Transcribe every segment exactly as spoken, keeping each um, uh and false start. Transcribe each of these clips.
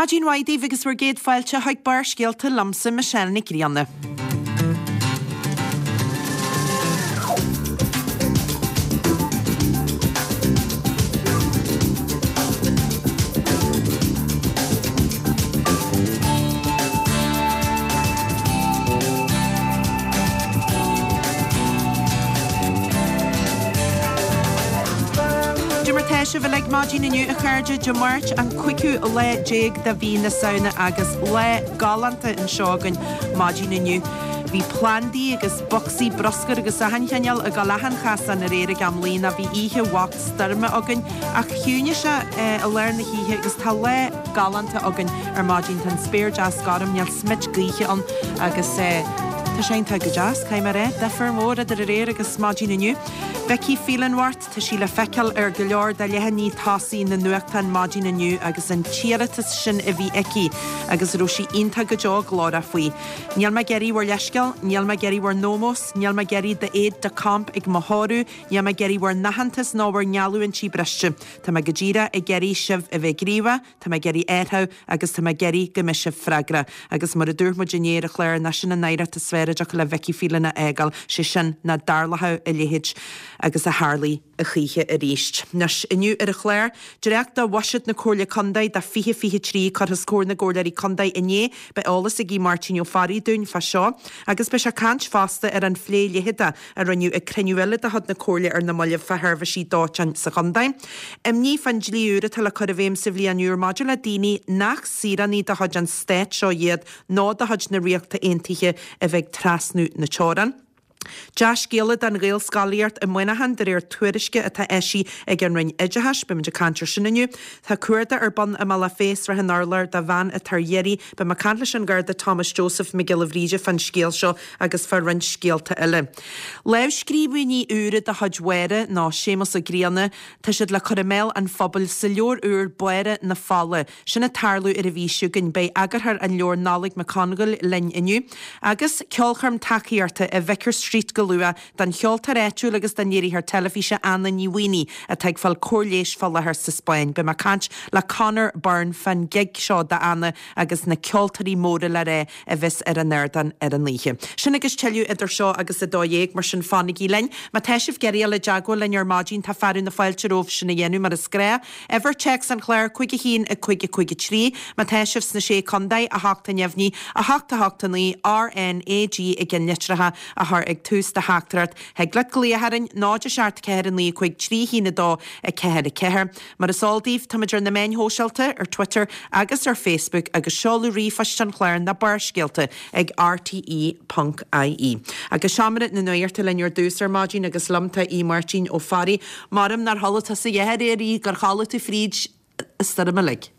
Maidin mhaith daoibh agus bhur gcéad fáilte chuig Barrscéalta liomsa Michelle Nic Grianna. Cad é mar tá sibh uilig maidin inniu a chairde Dé Máirt an cúigiú lá déag de mhí na Samhna agus lá galánta anseo againn maidin inniu. Bhí plandaí agus bocsaí bruscair agus achan chineál ag dul achan chasán aréir ag am luí nó bhí oíche bhocht stoirme againn ach chiúnaigh sé i lár na hoíche agus tá lá galánta againn ar maidin. Tá an spéir deas gorm, níl smid gaoithe ann agus tá sé iontach go deas, caithfidh mé a rá, difear mór idir aréir agus maidin inniu. Vicky Phelan Bhart, tá sí le feiceáil ar go leor de leathanaigh tosaigh na nuachtán maidin inniu agus an t-iarratas sin a bhí aici agus a raibh sí iontach go deo glórach faoi. Níl mé ag iarraidh bhur leithscéal, níl mé ag iarraidh bhur n-ómós, níl mé ag iarraidh d'aide de camp ag mo thórramh, níl mé ag iarraidh bhur n-aitheantas ná bhur ngeallúintí briste. Tá mé go díreach ag iarraidh sibh a bheith gníomhach, tá mé ag iarraidh athrú agus tá mé ag iarraidh go mbeidh sibh freagrach. Agus mar a dúirt muid inné ar an chlár, nach sin an oidhreacht is fearr a dtiocfadh le Vicky Phelan a fhágáil, sé sin nach dtarlódh a leithéid agus a tharlaigh a choíche arís. Anois, inniu ar an chlár, dréacht de Bhuiséad na Comhairle Contae do fiche fiche trí curtha os comhair na gComhairleoirí Contae inné, beidh eolas ag Aodh Máirtín Ó Fearraigh dúinn fá seo agus beidh sé ag caint fosta ar an phlé leitheadach a rinneadh ag cruinniú eile de chuid na Comhairle ar na mallaibh fá sheirbhísí dóiteáin sa chontae. Imní fán dlí úr atá le cur i bhfeidhm sa bhliain úr maidir le daoine nach saoránaigh de chuid an stáit seo iad nó de chuid na Ríochta Aontaithe a bheith ag trasnú na teorann. Dea-scéala don Ghaelscolaíocht i Muineachán de réir tuairisce atá eisithe ag an Roinn Oideachais. Beimid ag caint ar sin inniu. Tá cuardach ar bun i mBealach Féich, Srath an Urláir do bhean atá ar iarraidh. Beidh mé ag caint leis an Gharda Thomas Joseph Mac Giolla Bhríde fán scéal seo agus fá roinnt scéalta eile. Lámhscríbhinní úra de chuid Mháire nó Séamus Ó Grianna, tá siad le cur i mbéal an phobail sa leabhar úr Báire na Fola. Sin ag tarlú ar an mhí seo chugainn. Beidh eagarthóir an leabhair Nollaig Mac Congail linn inniu. Agus ceolchoirm tacaíochta i Vicar Street go luath don cheoltóir áitiúil agus don léiritheoir teilifíse Anna Ní Mhaonaigh atá ag fáil cóir leighis fá láthair sa Spáinn. Beidh mé ag caint le Conor Byrne fán gig seo d'Anna agus na ceoltóirí móra le rá a bheas ar an ardán ar an oíche. Sin agus tuilleadh idir seo agus a dó dhéag, mar sin fanaigí linn. Má tá sibh ag iarraidh dul i dteagmháil linn ar maidin tá fearadh na fáilte romhaibh sin a dhéanamh mar is gnách. Uimhir téacs an chláir, cúig a haon, a cúig a cúig a trí. Má tá sibh sna Sé Contae, a hocht a neamhní, a hocht a hocht a naoi, R N A G i gceannlitreacha a chur ag tús do theachtaireacht. Thig leat glaoch orainn, náid a seacht ceathair a naoi cúig trí haon a dó a ceathair a ceathair. Mar is eol daoibh, táimid ar na meáin shóisialta, ar Twitter agus ar Facebook agus seoladh ríomhphoist an chláir ná Barrscéalta ag rte ponc ie. Agus Seomra na Nuachta linn ar dtús ar maidin agus liom tá Aodh Máirtín Ó Fearraigh. Maram nár chodlaigh tusa a dhath aréir, a Aoidh, gur chodlaigh tú fríd an stoirm uilig.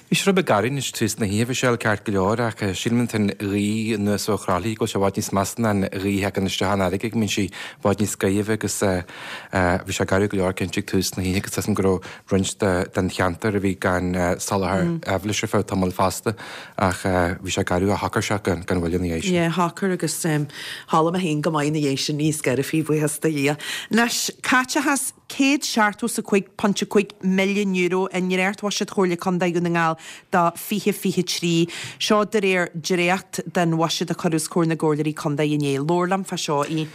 Bhí sé rud beag garbh anois tús na hoíche, bhí sé ceart go leor ach sílim an ghaoth anuas ó Thrá Lí go bhfuil sé i bhfad níos measa ná an ghaoth a thagann isteach an fharraige go mbíonn sí i bhfad níos gaibhe agus bhí sé garbh go leor cinnte ag tús na hoíche agus tá go raibh roinnt den cheantar a bhí gan soláthar aibhléis ar feadh tamaill fosta ach bhí sé garbh ach shocair sé gan mhoill ina dhiaidh sin. Yeah, shocair agus chodlaigh mé féin go maith ina dhiaidh sin níos gaire fiú, buíochas do Dhia. Anois, caiteachas céad seachtó is a cúig ponc a cúig milliún euro i ndréachtbhuiséad Chomhairle Contae Dhún na nGall do fiche fiche trí. Seo de réir dréacht den bhuiséad a cuireadh os comhair na gComhairleoirí Contae inné. Labhair liom fá seo, a Aoidh.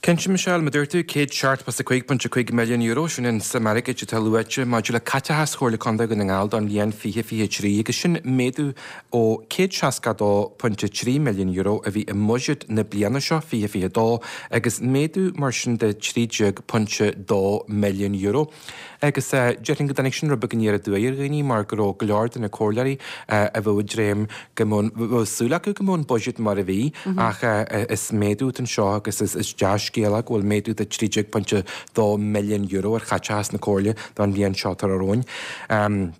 Cinnte, Michelle, mar a dúirt tú, céad seachtó is a cúig ponc a cúig milliún euro, sin an suim airgid atá luaite maidir le caiteachas Chomhairle Contae Dhún na nGall don bhliain fiche fiche trí agus sin méadú ó céad seasca a dó ponc a trí milliún euro a bhí i mbuiséad na bliana seo, fiche fiche dó, agus méadú mar sin de trí déag ponc dó milliún euro. Agus déarfainn go dtáinig sin rud beag aniar aduaidh ar dhaoine mar go raibh go leor de na comhairleoirí a bheadh ag dréim go mbeadh, bheadh súil acu go mbeadh an buiséad mar a bhí ach is méadú atá anseo agus is dea-scéal é go bhfuil méadú de trí déag ponc dó milliún euro ar chaiteachas na comhairle don bhliain seo atá romhainn.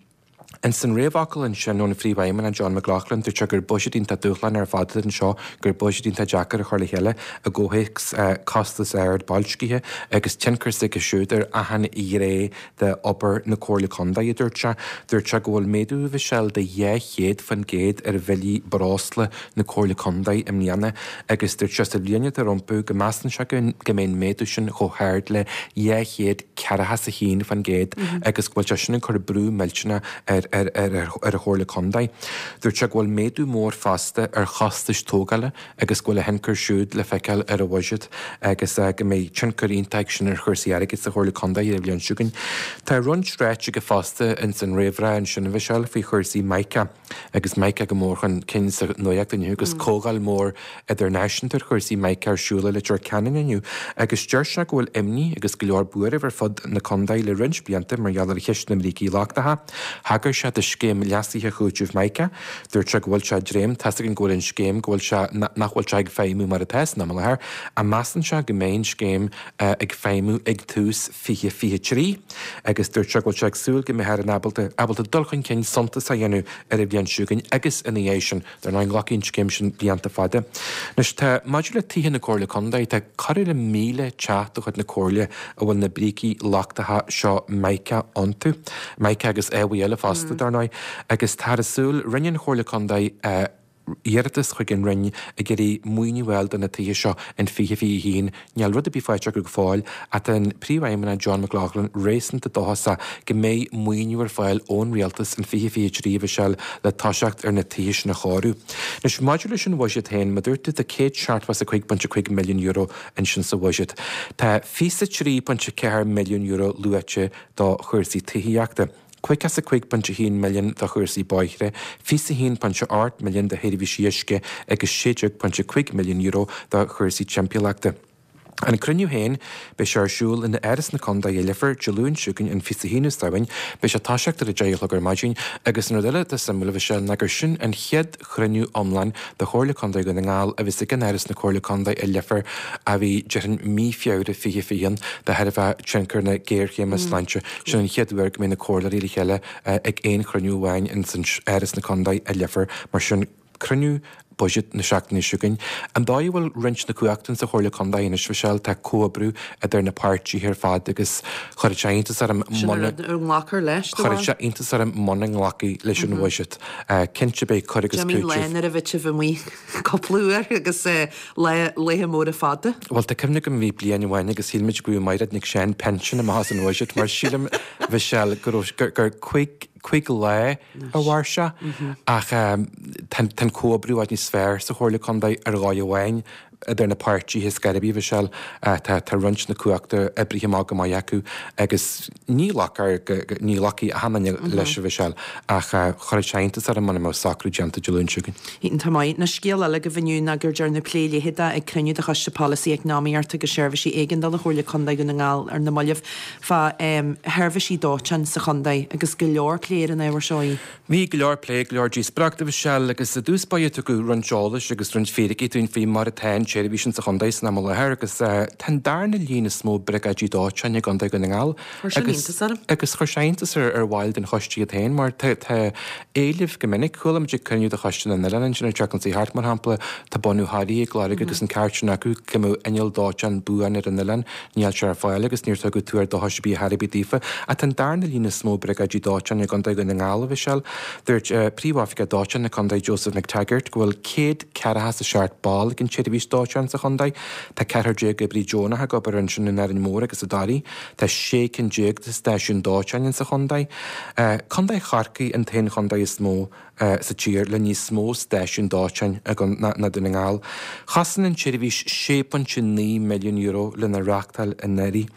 Ins an réamhfhocal ansin ón Phríomhfheidhmeannach John McLaughlin, dúirt sé gur buiséad iontach dúshlánach ar fad atá anseo, gur buiséad iontach deacair a chur le chéile i gcomhthéacs costas ard boilscithe agus tionchar s'aige siúd ar achan ghné de obair na Comhairle Contae, a dúirt sé. Dúirt sé go bhfuil méadú, a Mhichelle, de dhá chéad faoin gcéad ar bhillí breosla na Comhairle Contae i mbliana agus dúirt sé sa bhliain atá rompu go measann sé go mbeidh an méadú sin chomh hard le dhá chéad ceathracha is a haon faoin gcéad agus go bhfuil sé sin ag cur brú millteanach ar ar ar an Chomhairle Contae. Dúirt sé go bhfuil méadú mór fosta ar chostais tógála agus go bhfuil a thionchar siúd le feiceáil ar an bhuiséad agus go mbeidh tionchar iontach sin ar chúrsaí airgid sa Chomhairle Contae ar an bhliain seo chugainn. Tá roinnt ráite aige fosta ins an réamhrá ansin a Mhichelle faoi chúrsaí Mica agus Mica go mór chun cinn sa nuacht inniu agus comhdháil mór idirnáisiúnta ar chúrsaí Mica ar siúl i Leitir Ceanainn inniu agus deir sé go bhfuil imní agus go leor buairimh ar fud na contae le roinnt blianta mar gheall ar cheist na mbrící lochtacha. Thagair sé do scéim leasaithe chúitimh Mica. Dúirt sé go bhfuil sé dréim tá a fhios againn go bhfuil an scéim go bhfuil sé nach bhfuil sé ag feidhmiú mar atá san am i láthair, a measann sé go mbeidh an scéim ag feidhmiú ag tús fiche fiche trí agus dúirt sé go bhfuil sé ag súil go mbeifear in ábalta ábalta dul chun cinn suntasach a dhéanamh ar an bhliain seo chugainn agus ina dhiaidh sin. Dar ndóigh glacfaidh an scéim sin blianta fada. Anois tá maidir le tithe na Comhairle Contae tá corradh le míle teach de chuid na Comhairle a bhfuil na brící lochtacha seo Mica iontu. Mica agus ábhair eile fosta, dar ndóigh, agus táthar ag súil, rinne an Chomhairle Contae iarratas chuig an Roinn ag iarraidh maoiniú a fháil do na tithe seo in fiche fiche a haon. Níl rud ar bith faighte acu go fóill ach tá an Príomhfheidhmeannach John McLaughlin réasúnta dóchasach go mbeidh maoiniú ar fáil ón Rialtas in fiche fiche a trí, a Mhichelle, le toiseacht ar na tithe sin a chóiriú. Anois, maidir leis an bhuiséad féin, mar a dúirt tú tá céad seachtó is a cúig pointe cúig milliún euro ansin sa bhuiséad. Tá fiche a trí pointe ceathair milliún euro luaite do chúrsaí tithíochta, caoga is a cúig pointe haon milliún do chúrsaí bóithre, fiche a haon pointe ocht milliún do sheirbhísí uisce agus sé déag pointe cúig milliún euro do chúrsaí timpeallachta. An cruinniú féin, beidh sé ar siúl in Áras na Contae i Leifear, Dé Luain seo chugainn an fiche a haonú Samhain. Beidh sé ag toiseacht ar a deich a chlog ar maidin agus an rud eile atá suimiúil, a Mhichelle, ná gur sin an chéad chruinniú iomlán de Chomhairle Contae Dhún na nGall a bheas ag in Áras na Comhairle Contae i Leifear a bhí, déarfainn, mí Feabhra fiche fiche haon de thairbhe tionchar na géarchéime sláinte. Sin an chéad uair go mbeidh na comhairleoirí le chéile ag aon chruinniú amháin ins an Áras na Contae i Leifear. Mar sin, cruinniú buiséid na seachtaine seo chugainn. An dóigh a bhfuil roinnt na cumhachta insa Chomhairle Contae anois, Mhichelle, tá comhoibriú idir na páirtithe ar fad agus chuirfeadh sé iontas orm Sin an rud a nglacfar leis, do chuirfeadh sé iontas orm muna nglacfaí leis an bhuiséad. Cinnte beidh cur agus Jimín lá cúiteamh. nuair a bhí sibh amuigh cúpla uair agus lá, laetha móra fada. Bhuel, tá cuimhne agam bhí bliain amháin agus shíl muid go raibh Mairéad Nic Seáin pinsean amach as an bhuiséad mar sílim, Mhichelle, go raibh, gur, gur cúig, cúig lá a mhair sé ach tá an comhoibriú i bhfad níos fearr sa Chomhairle Contae ar dhóigh amháin idir na páirtithe is gairbí, Mhichelle. Tá tá roinnt na cumhachta oibrithe amach go maith acu agus ní ghlacfar ní ghlacfaidh achan duine leis, a Mhichelle, ach chuirfeadh sé iontas orm muna mbeadh socrú déanta Dé Luain seo chugainn. Iontach maith. Ná scéal eile agaibh inniu ná gur dearnadh plé leitheadach ag cruinniú de Choiste Polasaí Eacnamaíochta agus Seirbhísí Éigeandála Chomhairle Contae Dhún na nGall ar na mallaibh fá sheirbhísí dóiteáin sa chontae agus go leor plé ar an ábhar seo. í. Bhí go leor plé, go leor díospóireachta, a Mhichelle, agus i dtús báire tugadh roinnt eolais agus roinnt fíricí dúinn faoi mar atá an tseirbhís insa chontae san am i láthair agus tá an darna líon is mó briogáidí dóiteáin i gContae Dhún na nGall Chuir sin iontas orm. agus chuir sé iontas ar ar bhaill den choiste iad féin mar tá tá éileamh go minic. Chuala muid ag cruinniú de Choiste na nOileán ansin an tseachtain seo thart, mar shampla, tá bunadh Thoraí ag lorg agus an ceart sin acu go mbeadh inneall dóiteáin buan ar an oileán. Níl sé ar fáil agus níor tugadh tuar dóchais ar bith ar bith daofa. Ach tá an darna líon is mó briogáidí dóiteáin i gContae Dhún na nGall, a Mhichelle. Dúirt Príomhoifigeach Dóiteáin na Contae Joseph McTaggart go bhfuil céad ceathracha is a seacht ball ag an tseirbhís dóiteáin sa chontae. Tá ceathrar déag oibrí deonach ag obair ansin in Árainn Mhór agus i dToraí. Tá sé cinn déag de stáisiúin dóiteáin insa chontae. Contae Chorcaí an t-aon chontae is mó sa tír le níos mó stáisiún dóiteáin ná Dún na nGall. Chosain an tseirbhís sé pointe naoi milliún euro lena reáchtáil anuraidh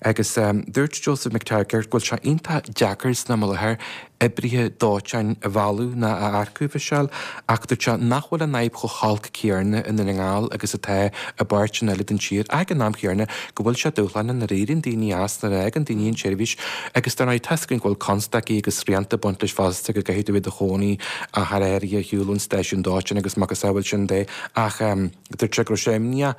agus dúirt Joseph McTaggart go bhfuil sé iontach deacair san am i láthair oibrithe dóiteáin a mhealladh ná a earcú, a Mhichelle, ach dúirt sé nach bhfuil an fhadhb chomh holc céanna i nDún na nGall agus atá i bpáirteanna eile den tír ach ag an am chéanna go bhfuil sé dúshlánach nuair a éiríonn daoine as, nuair a fhágann daoine an tseirbhís agus dar ndóigh tá a fhios againn go bhfuil constaicí agus srianta ag baint leis fosta go gcaithfidh tú a bheith i do chónaí achar áirithe ar shiúl ón stáisiún dóiteáin agus macasamhail sin de ach dúirt sé go raibh sé imníoch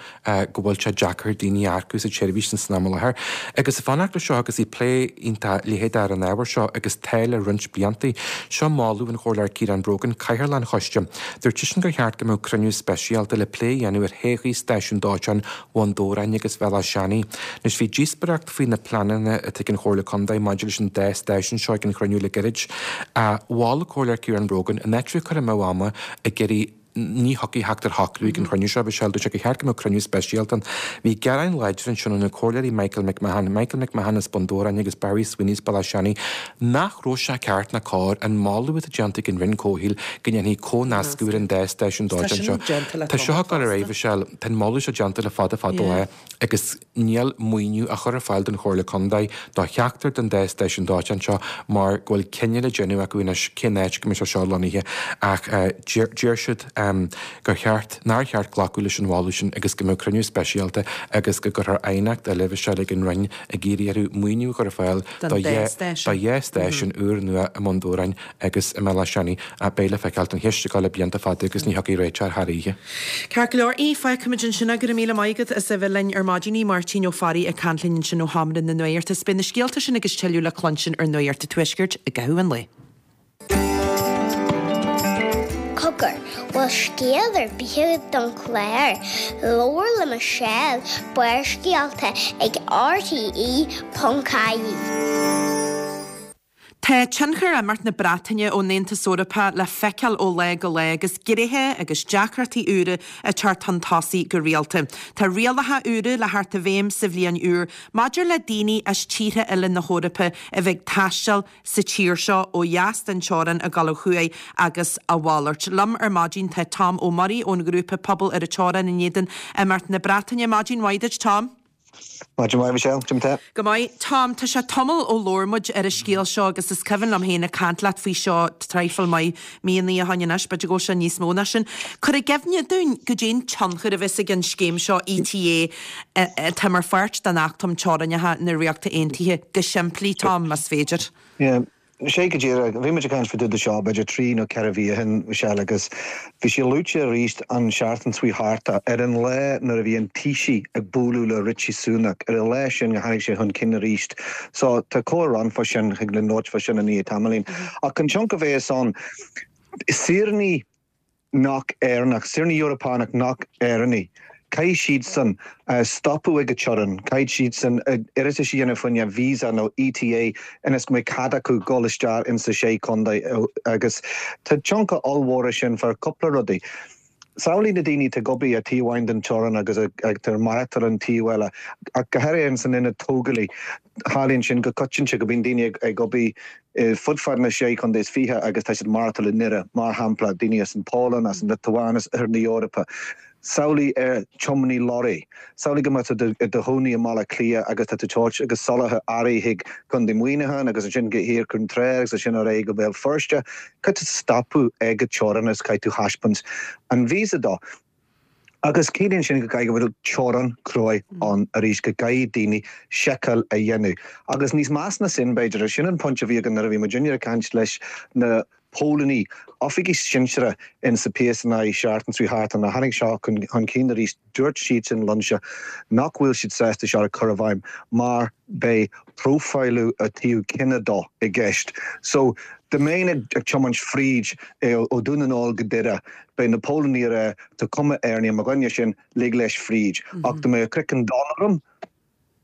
go bhfuil sé deacair daoine a earcú sa tseirbhís san am i láthair. Agus ag fanacht leis seo agus bhí plé iontach leitheadach ar an ábhar seo agus tá le roinnt blianta. Seo moladh an Chomhairleoir Ciarán Brogan, Cathaoirleach an Choiste. Dúirt seisean gur cheart go mbeadh cruinniú speisialta le plé a dhéanamh ar thodhchaí stáisiún dóiteáin Bhun Dobhráin agus Bhealach Seanaidh. Anois bhí díospóireacht faoi na pleananna atá ag an Chomhairle Contae maidir leis an dá stáisiún seo ag an chruinniú le gairid. Mhol an Comhairleoir Ciarán Brogan in áit a bheith ag cur amú ama ag iarraidh ní thiocfaidh theacht ar shocrú ag an chruinniú seo, Michelle, dúirt sé gur cheart go mbeadh cruinniú speisialta ann. Bhí gearáin láidir ansin ó na comhairleoirí Michael McMahon, Michael McMahon as Bun Dobhráin agus Barry Sweeney as Béal Átha Seanaidh nach raibh sé ceart ná cóir an moladh atá déanta ag an Roinn Comhshaoil go ndéanfaí comhnascadh ar an dá stáisiún dóiteáin seo. Tá seo ag dul ar aghaidh, Michelle, tá an moladh seo déanta le fada fada lá agus níl maoiniú á chur ar fáil don Chomhairle Contae do cheachtar den dá stáisiún dóiteáin seo mar go bhfuil cinneadh le déanamh acu anois cén áit go mbeidh sé seo lonnaithe ach deir siad gur cheart, nár cheart glacadh leis an mholadh sin agus go mbeadh cruinniú speisialta agus go gcuirfear aighneacht eile Michelle ag an Roinn ag iarraidh orthu maoiniú a chur ar fáil do dhá stáisiún úrnua i mBun Dobhráin agus i mBéal Átha Seanaidh. Beidh le feiceáil, tá an cheist ag dul le blianta fada agus ní thiocfaidh réiteach thar oíche. Ceart go leor, fágfaimid ansin é. Go raibh míle maith agat as a bheith linn ar maidin. Máirtín Ó Fearraigh ag caint linn ansin ó Sheomra na Nuachta. Beidh na scéalta sin agus tuilleadh le cluinstin ar Nuacht an Tuaiscirt i gcaitheamh an lae. Cogar, bhfuil scéal ar bith agat don chlár? Labhair le Michelle, Barrscéalta ag RTE ponc ie. Tá tionchar imeacht na Breataine ón Aontas Eorpach le feiceáil ó lá go lá agus gnéithe agus deacrachtaí úra ag teacht chun tosaigh go rialta. Tá rialacha úra le theacht i bhfeidhm sa bhliain úr maidir le daoine as tíortha eile na hEorpa a bheith ag taisteal sa tír seo ó dheas den teorainn ag dul ó thuaidh agus a mhalairt. Liom ar maidin tá Tom Ó Muirí ón ghrúpa Pobal ar an Teorainn in éadan imeacht na Breataine. Maidin mhaith duit, Tom. Maidin mhaith, Michelle. Cad é mar tá? Go maith. Tom, tá sé tamall ó labhair muid ar an scéal seo agus is cuimhin liom féin ag caint leat faoi seo traidhfil maith míonna ó shoin anois, b'fhéidir go bhfuil sé níos mó ná sin. Cuir i gcuimhne dúinn goidé an tionchar a bheas ag an scéim seo ETA atá mar pháirt den Acht um Teorainneacha na Ríochta Aontaithe, go simplí, Tom, más féidir. Yeah. Sé go díreach. Bhí muid ag caint fá dtaobh de seo b'fhéidir trí nó ceithre mhí ó shin, Michelle, agus bhí sé luaite arís an seachtain seo thart ar an lá nuair a bhí an Taoiseach ag bualadh le Rishi Sunak, ar an lá sin go tháinig sé chun cinn arís. So tá comhrá ann fá sin, thig linn labhairt fá sin i ndiaidh tamaillín. Ach an tionchar a bheas ann, saoránaigh nach Éireannach, saoránaigh Eorpánach nach Éireannaigh, caithfidh siadsan stopadh ag an teorainn, caithfidh siadsan iarratas a dhéanamh fá choinne visa nó ETA ionas go mbeidh cead acu dul isteach insa sé chontae agus tá tionchar ollmhór sin fá cúpla rudaí. Samhlaigh na daoine atá ag obair ar taobh amháin den teorainn agus atá ag maireachtáil an taobh eile, ach go háirithe ins an ionad tógálaí. Tarlaíonn sin go coitianta go mbíonn daoine ag obair fud fad na sé chontae is fiche agus tá siad ag maireachtáil i nDoire, mar shampla, daoine as an Pholainn, as an Liotuáin, as Oirthear na hEorpa. Samhlaigh ar tiománaí lorraí. Samhlaigh go mbeadh tú i do chónaí i mBaile Átha Cliath agus tá tú ag tabhairt agus soláthar earraí chuig Contae Mhuineacháin agus ansin go Thiar Ceann Trá agus ansin ar aghaidh go Béal Feirste. Caithfidh tú stopadh ag an teorainn agus caithfidh tú thaispeáint an visa dó. Agus ciallaíonn sin go gcaithfidh go bhfuil teorainn cruaidh ann arís, go gcaithfidh daoine seiceáil a dhéanamh. Agus níos measa ná sin, b'fhéidir, sin an pointe a bhí againn nuair a bhí muidinne ag caint leis na póilíní, oifigigh sinseartha in sa PSNI seachtain seo thart, nuair a tháinig seo chun cinn arís, dúirt siadsan liomsa nach bhfuil siad sásta seo a chur i bhfeidhm mar beidh próifáiliú ó thaobh cine dó i gceist. So, dá mbeinn ag tiomáint fríd ó Dún na nGall go Doire, beidh na póilíní ag rá tá cuma Éireannaí ar mo dhuine sin, lig leis fríd. Ach dá mbeadh craiceann donn orm,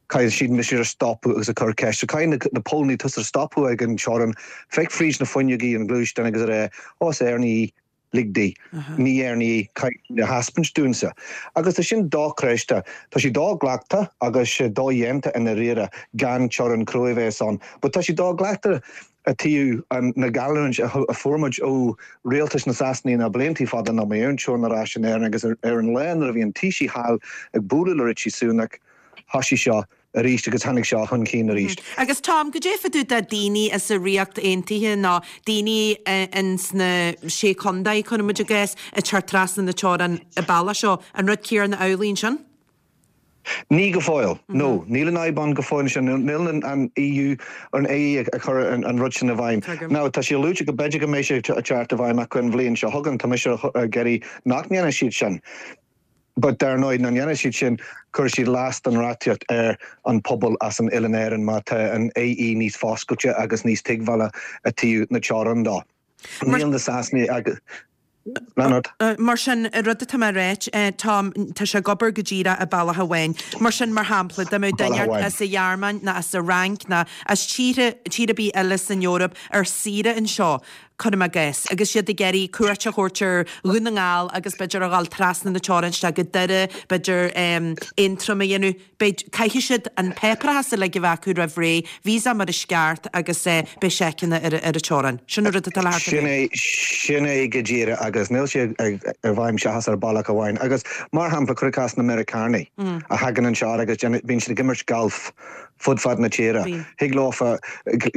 caithfidh siad mise a stopadh agus a chur ceist. So caithfidh na póilíní tusa a stopadh ag an teorainn, féach fríd na fuinneogaí an ghluaisteáin agus a rá, ó is Éireannaí í. Lig di. Ní Éireannaí í, caithfidh sí a thaispeáint dúinse. Agus tá sin dochreidte. Tá sé do-ghlactha agus sé dodhéanta i ndáiríre gan teorainn cruaidh a bheas ann. But tá sé do-ghlactha i dtaobh na geallúint a fuair muid ó rialtas na Sasanaí na bliantaí fada nach mbeidh aon teorainn ar ais in Éirinn agus ar an lá nuair a bhí an Taoiseach thall ag bualadh le Rishi Sunak thoisigh seo arís agus tháinig seo chun cinn arís. Agus Tom, goidé fá dtaobh de daoine as an Ríocht Aontaithe nó daoine ins na Sé Chondae, cuireann muid i gcás, ag teacht trasna na teorann an bealach seo, an rud céarna amhlaidh ansin? Ní go fóill, no. Níl an fhadhb ann go fóill ansin. Níl an EU, an AE ag cur an rud sin i bhfeidhm. Now, tá sé luaite go b'fhéidir go mbeidh sé ag teacht i bhfeidhm acu an bhliain seo chugainn. Tá mise ag iarraidh nach ndéanfaidh siad sin. But dar ndóigh, má dhéanann siad sin, cuirfidh siad last den reachtaíocht ar an pobal as an Oileán Éireann má tá an AE níos foscailte agus níos tuigbheála i dtaobh na teorann dó. Níl na Sasanaigh agus. Lean ort. Mar sin, an rud atá mé a ráit, Tom, tá sé ag obair go díreach i bealach amháin. Mar sin, mar shampla, dá mbeadh duine ort as an Ghearmáin nó as an Fhrainc nó as tíortha, tír ar bith eile san Eoraip ar saoire anseo, cuirim i gcás, agus iad ag iarraidh cuairt a thabhairt ar Dhún na nGall agus b'fhéidir a dhul trasna na teorann isteach go Doire, b'fhéidir Aontroim a dhéanamh, beidh, caithfidh siad an páipéarachas uilig a bheith acu roimh ré, visa mar is ceart agus beidh seiceanna ar an teorainn. Sin an rud atá le theacht i bhfeidhm. Sin é go díreach agus níl sé i bhfeidhm seachas ar bealach amháin. Agus mar shampla, cuir i gcás na Meiriceánaigh a thagann anseo agus bíonn siad ag imirt galf fud fad na tíre. Thig leofa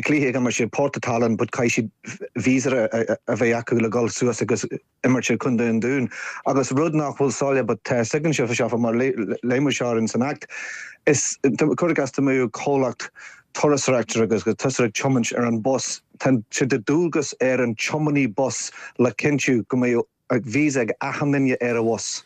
cluiche ag imirt siad Port an Tallann but caithfidh siad visa a bheith acu le dhul suas agus imirt i Contae an Dúin. Agus rud nach bhfuil soiléir but tá fhios againn seo mar léigh muid seo in san Act is cuir i gcás dá mbeadh comhlacht turasóireachta agus go tusa ag tiomáint ar an bus tá sé de dualgas ar an tiománaí bus le cinntiú go mbeidh visa ag achan duine ar a bhus.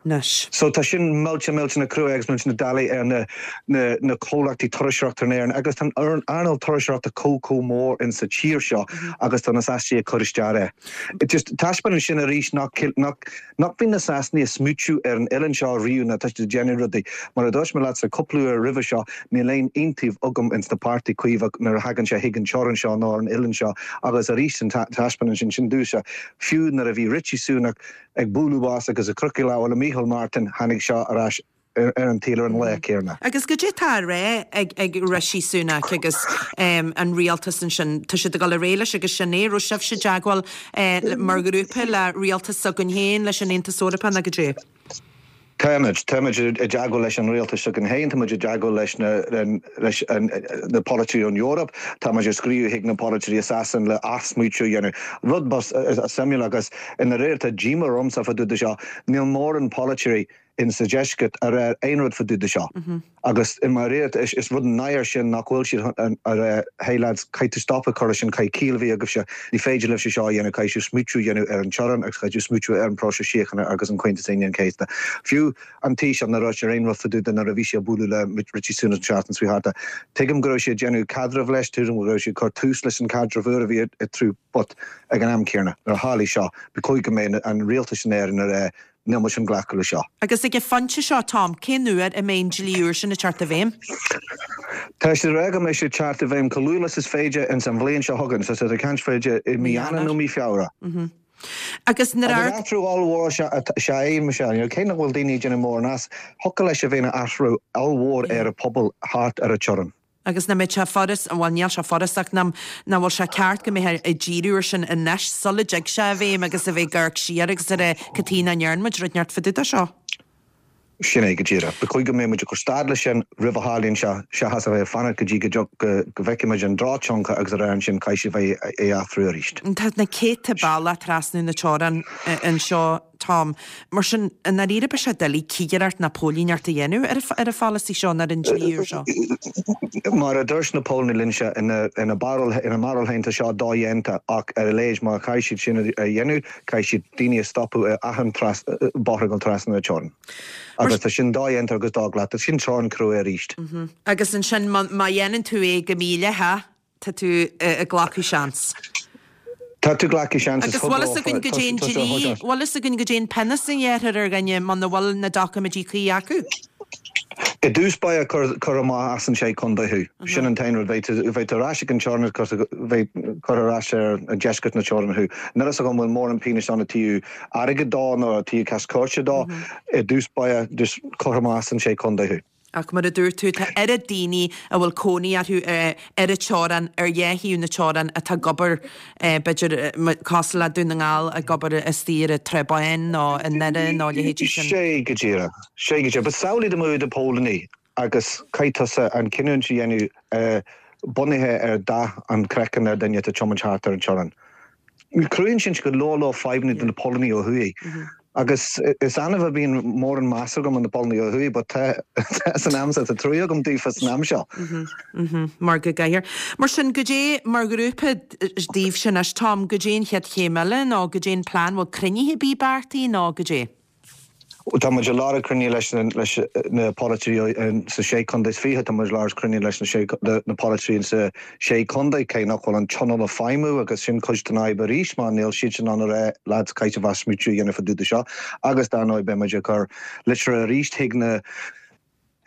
Anois. So tá sin millteach millteach crua agus millteach doiligh ar na na na comhlachtaí turasóireachta in Éirinn agus tá an earnáil turasóireachta chomh chomh mór in sa tír seo agus tá na Sasanaigh ag cur isteach air. It just taispeánann sin arís nach nach nach mbíonn na Sasanaigh ag smaoitiú ar an oileán seo riamh nuair atá siad ag déanamh rudaí. Mar a dúirt mé leatsa cúpla uair roimhe seo níl aon iontaoibh agam ins na páirtí Caomhach nuair a thagann sé chuig an teorainn seo nó ar an oileán seo agus arís an taispeánann sin sin domhsa fiú nuair a bhí Rishi Sunak ag bualadh bos agus ag croitheadh lámha le Micheál Martin, tháinig seo ar ais ar an tsaol ar an lá céanna. Agus goidé atá á rá ag ag Rishi Sunak agus an rialtas ansin, tá siad ag dul ar aghaidh leis agus sin é, raibh sibhse i dteagmháil mar ghrúpa le rialtas s'againn féin, leis an Aontas Eorpach nó goidé? Táimid. Táimid i dteagmháil leis an rialtas s'againn féin, táimid i dteagmháil leis na leis na polaiteoirí ón Eoraip, táimid ag scríobh chuig na polaiteoirí i Sasain le athsmaoitiú a dhéanamh. Rud suimiúil agus i ndáiríre tá díomá ormsa fá dtaobh de seo, níl mórán polaiteoirí in sa deisceart a rá aon rud fá dtaobh de seo. Agus i ndáiríre is rud náire sin nach bhfuil siad a rá hey lads caithfidh tú stop a chur leis sin, caithfidh ciall a bheith agaibhse, ní féidir libhse seo a dhéanamh, caithfidh sibh smaoitiú a dhéanamh ar an teorainn agus caithfidh sibh smaoitiú ar an bpróiseas síochána agus an Comhaontas Aoine an Chéasta. Fiú an Taoiseach nár dhúirt aon rud fá dtaobh de nuair a bhí sé ag bualadh le Rishi Sunak an tseachtain seo thart. Tuigim go raibh sé ag déanamh caidreamh leis, tuigim go raibh sé ag cur tús leis an caidreamh úr a bhí eatarthu but ag an am céanna nuair a tharlaigh seo ba chóir go mbeadh an rialtas in Éirinn a rá Níl muid chun glacadh le seo. Agus ag an phointe seo, Tom, cén uair a mbeidh an dlí úr sin ag teacht i bhfeidhm? Tá siad ag rá go mbeidh sé ag teacht i bhfeidhm chomh luath is is féidir ins an bhliain seo chugainn, so tá siad ag caint b'fhéidir i mí Eanáir nó mí Feabhra. Agus nuair a. Agus athrú ollmhór is ea é, Michelle, you know, cé nach bhfuil daoine ag déanamh mórán as, thiocfadh leis a bheith ina athrú ollmhór ar an pobal thart ar an teorainn. Agus nach mbeadh sé furast, bhuel níl sé furast ach nach bhfuil sé ceart go mbeifeá ag díriú ar sin anois sula dtig sé i bhfeidhm agus a bheith ag amharc siar agus ag rá cad chuige nach ndearn muid rud inteacht fá dtaobh de seo. Sin é go díreach. Ba chóir go mbeadh muid ag cur stad leis sin roimh a tharlaíonn sé, seachas a bheith ag fanacht go dtí go go bhfeicfidh muid an drochthionchar agus a rá ansin caithfidh sé bheith é athrú arís. Tá na céadta bealach trasna na teorann anseo Tom. Mar sin, i ndáiríre beidh sé doiligh cigireacht ná póilíneacht a dhéanamh ar an pholasaí seo nó ar an dlí úr seo. Mar a dúirt na póilíní linnse, ina mbarúil ina mbarúil féin tá seo dodhéanta ach ar a laghad má chaithfidh siad sin a dhéanamh, caithfidh siad daoine a stopadh ar achan bóthar ag dul trasna na teorann. Agus tá sin dodhéanta agus do-ghlactha. Sin teorainn chrua arís. Agus ansin má dhéanann tú é go mídhleathach, Tá tú ag glacadh seans. Tá tú ag glacadh seans is Agus bhfuil fhios againn goidé an dlí, bhfuil fhios againn goidé an pionós a ghearrfar ar dhuine muna bhfuil na doiciméidí cuí acu? I dtús báire cuirfear amach as an sé contae thú. Sin an t-aon rud. Beidh tú beidh tú ar ais ag an teorainn agus beidh curtha ar ais ar deisceart na teorann thú. Níl fhios agam an bhfuil mórán pionóis ann ó thaobh airgid dó nó ó thaobh cás cúirte dó. I dtús báire just cuirfear amach as an sé contae thú. Ach mar a dúirt tú, tá oiread daoine a bhfuil cónaí orthu ar an teorainn, ar dhá thaobh na teorann, atá ag obair, b'fhéidir, cosúil le Dún na nGall, ag obair istigh ar an Trá Báin nó i nDoire nó a leithéidí sin. Sé go díreach. Sé go díreach. But samhlaigh dá mbeadh i do phóilíní agus caithfidh tusa an cinniúint a dhéanamh bunaithe ar dath an chraicinn ar duine atá ag tiomáint thart ar an teorainn. Cruthaíonn sin go leor leor fadhbanna do na póilíní ó thuaidh. Agus is annamh a bhíonn mórán meas agam ar na póilíní ó thuaidh but tá san am seo, tá trua agam daofa san am seo. Mar go gcaithfear. Mar sin, goidé mar ghrúpa daoibhse anois, Tom, goidé an chéad chéim eile nó goidé an plean, bhfuil cruinnithe ar bith beartaithe nó goidé? Tá muid ag lorg cruinniú leis leis na polaiteoirí sa sé chontae is fiche, tá muid ag lorg cruinniú leis na na polaiteoirí sa sé chontae, cé nach bhfuil an tionól ag feidhmiú agus sin cuid den fhadhb arís mar níl siad in ann a rá lads caithfidh sibh athsmaoitiú a dhéanamh fá dtaobh de seo agus dar ndóigh beidh muid ag cur litreacha arís chuig na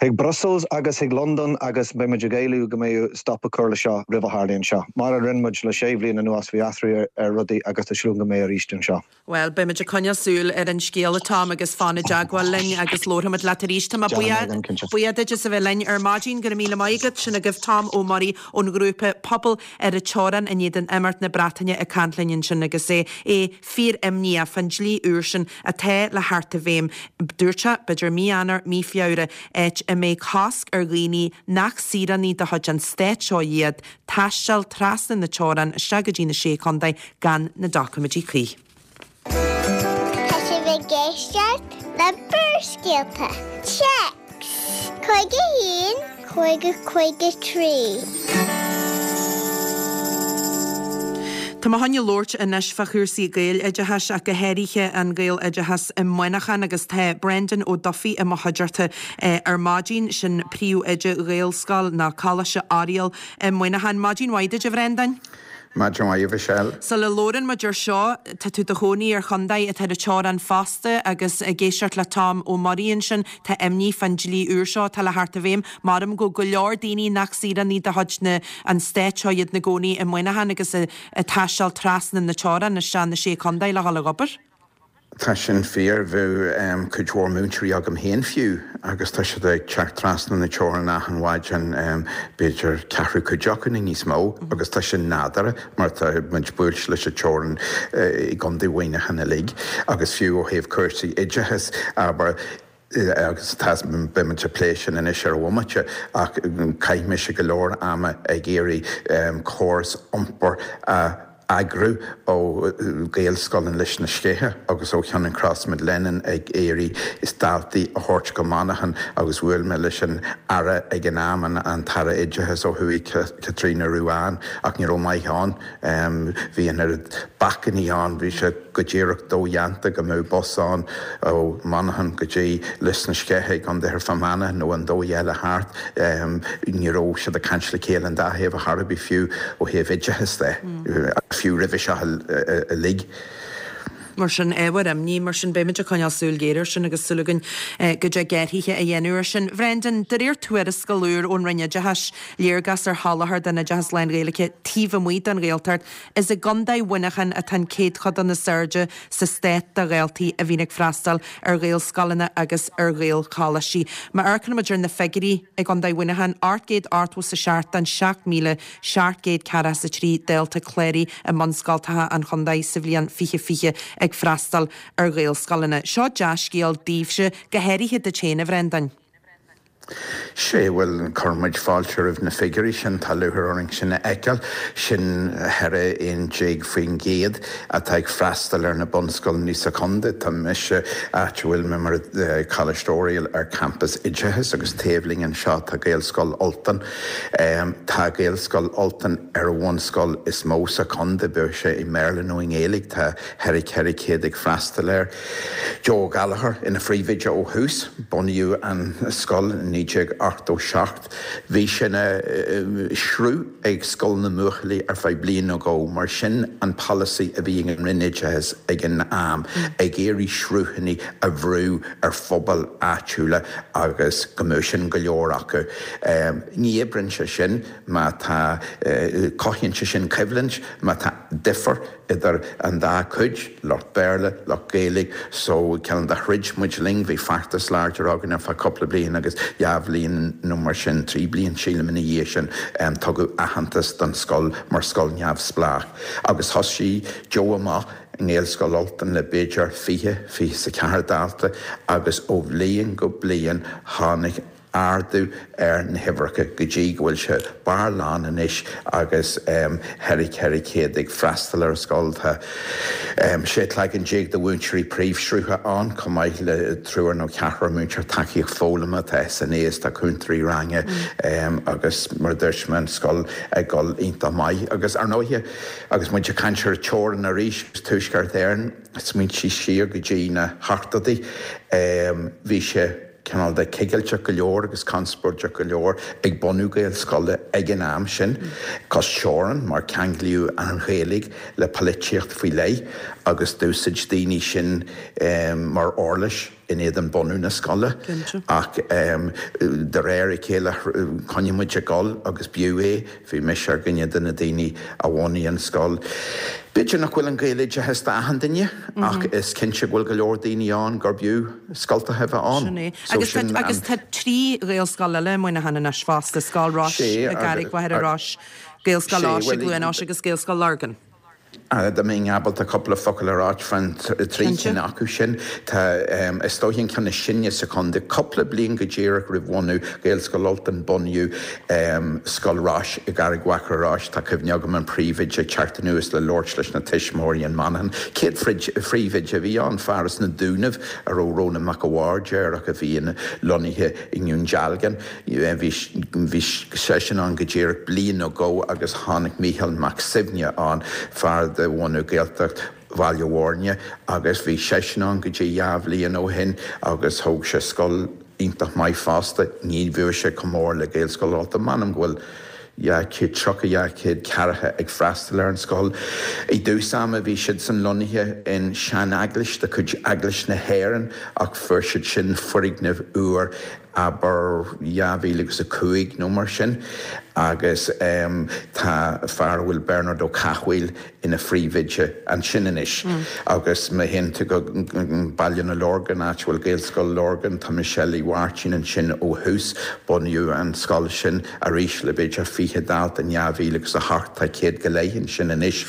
Chuig Brussels agus chuig Londain agus beidh muid ag éileamh go mbeidh stop a chur le seo roimh a tharlaíonn seo. Mar a rinne muid le sé bhliain anuas bhí athrú ar rudaí agus tá súil go mbeidh arís anseo. Well, beimid ag coinneáil súil ar an scéal a Tom agus fan i dteagmháil linn agus labharfaimid leat arís. Tá mé buíoch duit as a bheith linn ar maidin go raibh míle maith agat sin agaibh Tom Ó Muirí ón ghrúpa Pobal ar an Teorainn in éadan imeacht na Breataine ag caint linn ansin agus é é fíor-imníoch fán dlí úr sin atá le theacht i bhfeidhm. Dúirt sé, b'fhéidir mí Eanáir, mí Feabhra, áit a mbeidh cosc ar dhaoine nach saoránaigh de chuid an stáit seo iad taisteal trasna na teorann isteach go dtí na Sé Chontae gan na doiciméidí cuí. Tá sibh ag éisteacht le Barrscéalta. Téacs cúig a haon cúig a cúig a trí. Tá mé chun labhairt anois fá chúrsaí Gaeloideachais ach go háirithe an Gaeloideachas i Muineachán agus tá Brendan Ó Dufaigh i mo chuideachta ar maidin sin príomhoide Ghaelscoil ná Coláiste Oiriall i Muineachán. Maidin mhaith duit a Bhrendain. Maidin mhaith a Mhichelle. Sula labhrann muid ar seo, tá tú do chónaí ar chontae atá ar an teorainn fosta agus ag éisteacht le Tom Ó Muirí ansin, tá imní fán dlí úr seo atá le theacht i bhfeidhm. Maram go go leor daoine nach saoránaigh de chuid na an stáit seo iad na gcónaí i Muineachán agus ag taisteal trasna na teorann isteach na sé chontae le dhul ag obair. Tá sin fíor bheadh cuid mhór múinteoirí agam féin fiú agus tá siad ag teacht trasna na teorann achan mhaidin b'fhéidir ceathrú cuid acu nó níos mó agus tá sin nádúrtha mar tá muid buailte leis an teorainn i gContae Mhuineacháin uilig agus fiú ó thaobh cúrsaí oideachais abair agus tá beimid ag plé sin anois ar bhomaite ach chaith mise go leor ama ag iarraidh córas iompair a eagrú ó Ghaelscoil in Lios na Sceiche agus ó Cheann Cross Mid Lennon ag iarraidh is daltaí a thabhairt go Manchain agus bhuail mé leis an Aire ag an am an, an tAire Oideachais ó thuaidh Caitríona Ruane ach ní raibh maith ann. Bhí an oiread bacainní ann, bhí sé go díreach dodhéanta go mbeadh bus ann ó Manchain go dtí Lios na Sceiche i gContae Fhear Manach nó an dóigh eile thart. Ní raibh siad ag caint le chéile an dá thaobh a chor ar bith fiú ó thaobh oideachais de. Fiú roimhe seo uilig. Mar sin ábhar imní, mar sin beimid ag coinneáil súil ghéar air sin agus súil againn go dtig athruithe a dhéanamh air sin. Bhrendan, de réir tuarascáil úr ón Roinn Oideachais, léargas ar sholáthar den oideachas lán-Ghaeilge taobh amuigh den Ghaeltacht, is i gContae Mhuineacháin atá an céadchodán is airde sa stát de dhaltaí a bhíonn ag freastal ar Ghaelscoileanna agus ar Ghaelcholáistí. Má amharcann muid ar na figiúirí i gContae Mhuineacháin, ocht gcéad ochtó is a seacht den seacht míle seacht gcéad ceathracha is a trí dalta cláraithe i mbunscoltacha an chontae sa bhliain fiche fiche ag freastal ar Ghaelscoileanna. Seo dea-scéal daoibhse, go háirithe duit féin, a Bhrendain. Sé bhuel chuir muid fáilte roimh na figiúirí sin tá lúcháir orainn sin a fheiceáil sin ceithre aon déag faoin gcéad atá ag freastal ar na bunscoileanna sa chontae. Tá mise áit a bhfuil mé mar Coláiste Oiriall ar campas oideachais agus taobh linn anseo tá Gaelscoil Ultain. Tá Gaelscoil Ultain ar an bhunscoil is mó sa chontae, bíodh sé i mBéarla nó i nGaeilge tá ceithre ceithre chéad ag freastal air. Joe Gallagher ina phríomhoide ó thús, bunaíodh an scoil naoi déag ochtó seacht. Bhí sé ina sruth ag Scoil na mBuachaillí ar feadh bliain nó dhó, mar sin an polasaí a bhí ag an Roinn Oideachais ag an am, ag iarraidh sruthanna a bhrú ar phobail áitiúla agus go mbeadh sin go leor acu. Ní oibríonn sé sin má tá, cothaíonn sé sin coimhlint má tá difear idir an dá chuid, lucht Béarla, lucht Gaeilge, so cineál de throid muid linn, bhí feachtas láidir againn ar feadh cúpla bliain agus dhá bhliain nó mar sin, trí bliain sílim ina dhiaidh sin, tugadh aitheantas don scoil mar scoil neamhspleách agus thosaigh Joe amach i nGaelscoil Ultain le b'fhéidir fiche, fiche is a ceathair dalta agus ó bhliain go bliain tháinig ardú ar na huimhreacha go dtí go bhfuil sé barr lán anois agus ceithre ceithre chéad ag freastal ar an scoil. Tá sé cloigeann déag de mhúinteoirí príomhshrutha ann, chomh maith le triúr nó ceathrar múinteoir tacaíocht foghlama, tá SNAs, tá cúntóirí ranga agus mar a dúirt mé an scoil ag dul iontach maith. Agus ar ndóighe, agus muid ag caint ar an teorainn arís, Tuaisceart Éireann, smaointigh siar go dtí na hochtóidí, bhí sé cineál de cigilteach go leor agus conspóideach go leor ag bunú Gaelscoile ag an am sin, cois teorann, mar ceanglaíodh an Ghaeilge le polaitíocht faoi leith agus d'úsáid daoine sin mar uirlis in éadan bunú na scoile ach de réir a chéile choinnigh muid ag dul agus b'fhiú é, bhí mise ar dhuine de na daoine a bhunaigh an scoil. B'fhéidir nach bhfuil an Gaeloideachas d'achan duine ach is cinnte go bhfuil go leor daoine ann gurb fhiú scoltacha a bheith ann. Sin é. Agus tá agus tá trí Ghaelscoil eile i Muineachán anois fosta, Scoil Rois i gCarraig Mhachaire Rois, Gaelscoil Eois i gCluain Eois agus Gaelscoil Lurgan. Dá mbeinn ábalta cúpla focal a ráit faoin trí cinn acu sin, tá, is dóiche an ceann is sine sa chontae, cúpla bliain go díreach roimh bhunú Ghaelscoil Ultain bunaíodh Scoil Rois i gCarraig Mhachaire Rois. Tá cuimhne agam an príomhoide ag teacht anuas le labhairt leis na tuismitheoirí in Manchain. Céad phríomhoide a bhí ann, fear as na Dúnaibh a raibh Rónán Mac a' Bhaird air ach a bhí lonnaithe i nDún Dealgan. Bhí seisean ann go díreach bliain nó dhó agus tháinig Mícheál Mac Suibhne ann, fear de bhunadh Gaeltacht Bhaile Bhuirne agus bhí seisean ann go dtí dhá bhliain ó shin agus thóg sé scoil iontach maith fosta. Ní bheadh sé chomh mór le Gaelscoil Ultain. M'anam go bhfuil dhá chéad tríocha, dhá chéad ceathracha ag freastal ar an scoil. I dtús ama bhí siadsan lonnaithe in sean-eaglais de chuid Eaglais na hÉireann ach fuair siad sin foirgneamh úr abair dhá mhíle agus a cúig nó mar sin agus tá fear a bhfuil Bernard Ó Cathmhaoil ina phríomhoide ansin anois. Agus má théann tú go Baile na Lorgan, áit a bhfuil Gaelscoil Lurgan, tá Michelle Uí Mháirtín ansin ó thús. Bunaíodh an scoil sin arís le b'fhéidir fiche dalta in dhá mhíle agus a hocht, tá céad go leith ansin anois.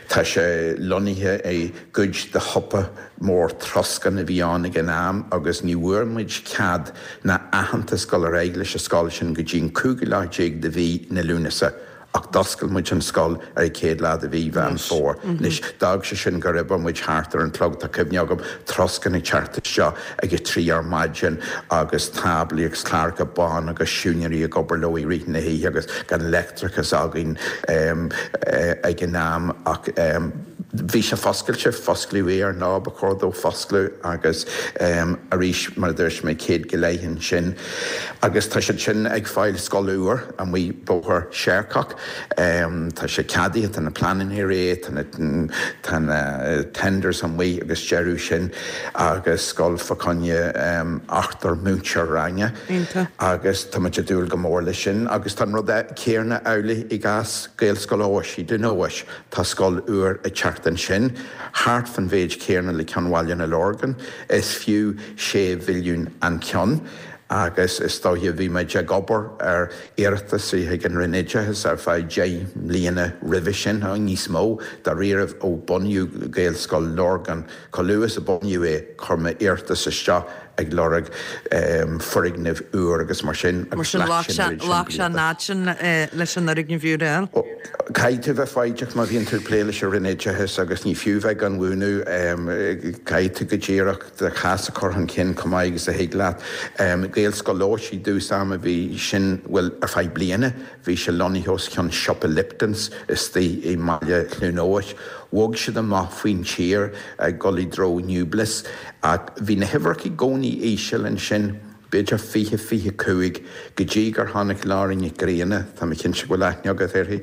Tá sé lonnaithe i gcuid de shiopa mór troscán a bhí ann ag an am agus ní bhfuair muid cead ná aitheantas dul ar aghaidh leis an scoil sin go dtí an cúigiú lá déag de mhí na Lúnasa ach d'oscail muid an scoil ar an chéad lá de mhí Mheán Fómhair. Anois, d'fhág sé sin gur oibir muid thart ar an chlog, tá cuimhne agam, troscán ag teacht isteach ag a trí ar maidin agus táblaí agus cláracha bána agus siúinéirí ag obair leo i rith na hoíche agus gan leictreachas againn ag an am ach bhí sé foscailte, fosclaíodh é ar an lá ba chóir dó foscladh agus arís, mar a dúirt mé, céad go leith ansin agus tá siad sin ag fáil scoil úr amuigh Bóthar Searcach. Tá sé ceadaithe, tá na pleananna réidh, tá na, tá na tenders amuigh agus deireadh sin agus scoil fá choinne ochtar múinteoir ranga agus tá muid ag dúil go mór leis sin agus tá an rud céanna amhlaidh i gcás Gaelscoil Eois i Dún Eois. Tá scoil úr ag teacht ansin, thart fan mhéid céanna le ceann Bhaile na Lorgan, is fiú sé mhilliún an ceann agus is dóiche bhí muid ag obair ar iarratas chuig an Roinn Oideachais ar feadh deich mbliana roimhe sin, níos mó, dáiríribh ó bunaíodh Gaelscoil Lurgan. Chomh luath is a bunaíodh é, chuir mé iarratas isteach ag lorg foirgneamh úr agus mar sin Mar agus sin ghlac ghlac sé an sé oiread sin ghlac sé an blianta. fhad sin leis an fhoirgneamh úr a fháil. Caithfidh tú bheith foighdeach má bhíonn tú ag plé leis an Roinn Oideachais agus ní fiú bheith gan mhúineadh, caithfidh tú go díreach do chás a chur chun cinn chomh maith agus a thig leat. Gaelscoil Eois i dtús ama bhí sin, bhuel, ar feadh bliana bhí sé lonnaithe os cionn siopa Liptons istigh i mbaile Chluain Eois. Bhog siad amach faoin tír ag dul i dtreo Newbliss ach bhí na huimhreacha i gcónaí íseal ansin, b'fhéidir fiche, fiche cúig, go dtí gur tháinig Laura Nic Grianna, tá mé cinnte go bhfuil aithne agat uirthi,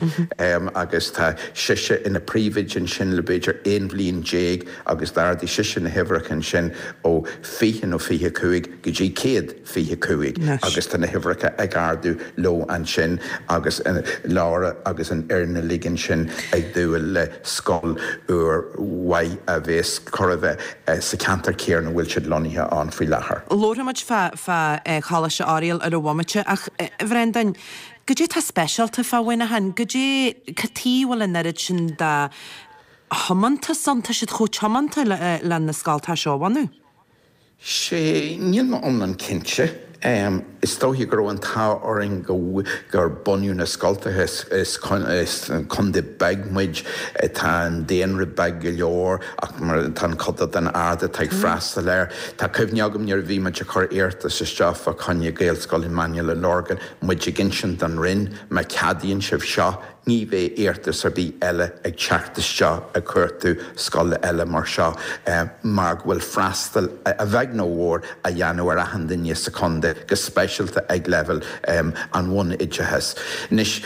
agus tá sise ina príomhoide ansin le b'fhéidir aon bhliain déag agus d'ardaigh sise na huimhreacha ansin ó fiche nó fiche cúig go dtí céad fiche cúig agus tá na huimhreacha ag ardú leo ansin agus Laura agus an fhoireann uilig ansin ag dúil le scoil úr mhaith a bheas chóir a bheith sa cheantar céanna a bhfuil siad lonnaithe ann faoi láthair. Labharfaidh muid fá fá Choláiste Oiriall ar an bhomaite ach, a Bhreandáin, goidé tá speisialta fá Mhuineachán? Goidé, cad chuige a bhfuil an oiread sin de thiomantas ann? Tá siad chomh tiomanta le le na scoltacha seo a bhunú. Sé, níl mé iomlán cinnte. Is dóiche go raibh an t-ádh orainn go gur bunaíodh na scoltacha. Is contae beag muid, tá an daonra beag go leor ach mar tá an céatadán ard atá ag freastal air. Tá cuimhne agam nuair a bhí muid ag cur iarratas isteach fá choinne Gaelscoil i mBaile na Lorgan, muid ag insint don Roinn, má cheadaíonn sibh seo, ní bheidh iarratas ar bith eile ag teacht isteach ag cuartú scoile eile mar seo mar go bhfuil freastal, a bheag nó a mhór, á dhéanamh ar achan duine sa chontae, go speisialta ag leibhéal an bhunoideachais. Anois,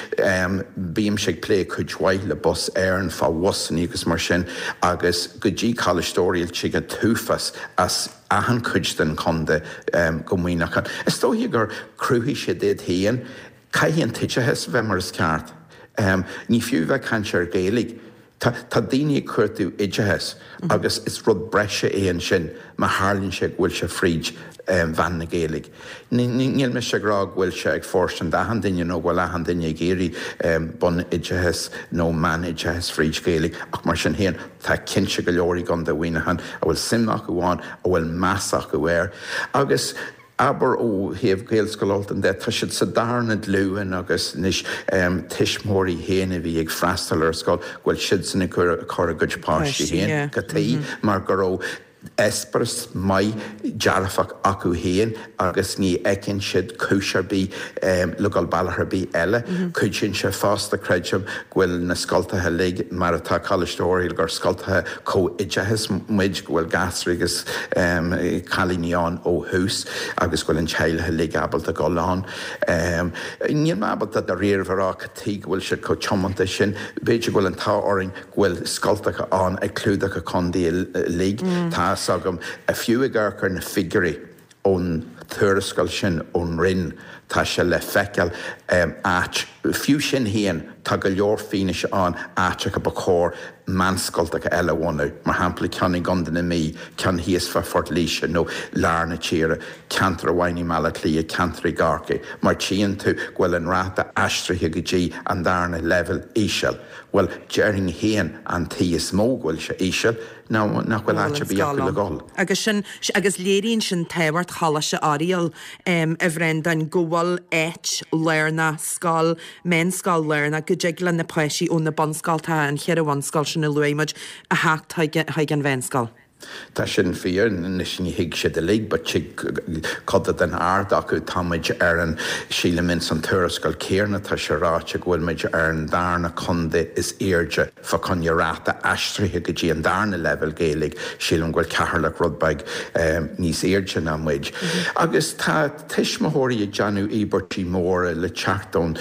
bímse ag plé cuid mhaith le Bus Éireann fá bhusanna agus mar sin agus go dtí Coláiste Oiriall tig an t-uafás as achan chuid den chontae go Muineachán. Is dóiche gur chruthaigh siad iad féin. Caithfidh an t-oideachas a bheith mar is ceart. Ní fiú bheith ag caint ar Ghaeilge. Tá tá daoine ag cuartú oideachas agus is rud breise é ansin má tharlaíonn sé go bhfuil sé fríd mheán na Gaeilge. Níl mise ag rá go bhfuil sé ag fóirstean d'achan duine nó go bhfuil achan duine ag iarraidh bunoideachas nó meánoideachas fríd Ghaeilge ach mar sin féin tá cinnte go leor i gContae Mhuineacháin a bhfuil suim acu ann, a bhfuil meas acu air agus Abair ó thaobh Ghaelscoil Ultain de, tá siad sa darna glúin agus anois tuismitheoirí féin a bhí ag freastal ar scoil, go bhfuil siadsan ag cur a gcuid páistí féin go dtí mar go raibh eispéireas maith dearfach acu féin agus ní fheiceann siad cúis ar bith le dhul bealach ar bith eile. Cuidíonn sé fosta, creidim, go bhfuil na scoltacha uilig mar atá Coláiste Oiriall, gur scoltacha comhoideachais muid, go bhfuil gasúir agus cailíní ann ó thús agus go bhfuil an teaghlach uilig ábalta dul ann. Níl mé ábalta dáiríre a rá cad tuige go bhfuil siad chomh tiomanta sin. B'fhéidir go bhfuil an t-ádh orainn go bhfuil scoltacha ann ag clúdach an chontae uilig. Tá 'fhios agam, fiú ag amharc ar na figiúirí ón tuarascáil sin ón Roinn, tá sé le feiceáil áit, fiú sin féin, tá go leor fianaise ann áiteacha ba chóir meánscoltacha eile a bhunú, mar shampla ceann i gContae na Mí, ceann thíos fá Phort Laoise nó lár na tíre, ceantar amháin i mBaile Átha Cliath, ceantar i gCorcaigh, mar tchíonn tú go bhfuil an ráta aistrithe go dtí an darna leibhéal íseal. Bhuel, déarfainn féin an tuige is mó go bhfuil sé íseal ná nach bhfuil áit ar bith acu le dhul. Agus sin, agus léiríonn sin tábhacht Choláiste Oiriall, a Bhreandáin, go bhfuil áit lárnach, scoil, meánscoil lárnach, go dtig le na páistí ó na bunscoltacha, an cheithre bhunscoil sin a luaigh muid, a theacht chuig an mheánscoil. Tá sin fíor, anois ní thig siad uilig but tig coda den ard acu, tá muid ar an, sílim ins an tuarascáil céarna tá sé ráite go bhfuil muid ar an darna contae is airde fá choinne ráta aistrithe go dtí an darna leibhéal Gaeilge, sílim go bhfuil Ceatharlach rud beag níos airde ná muid. Agus tá tuismitheoirí ag déanamh íobairtí móra le teacht ón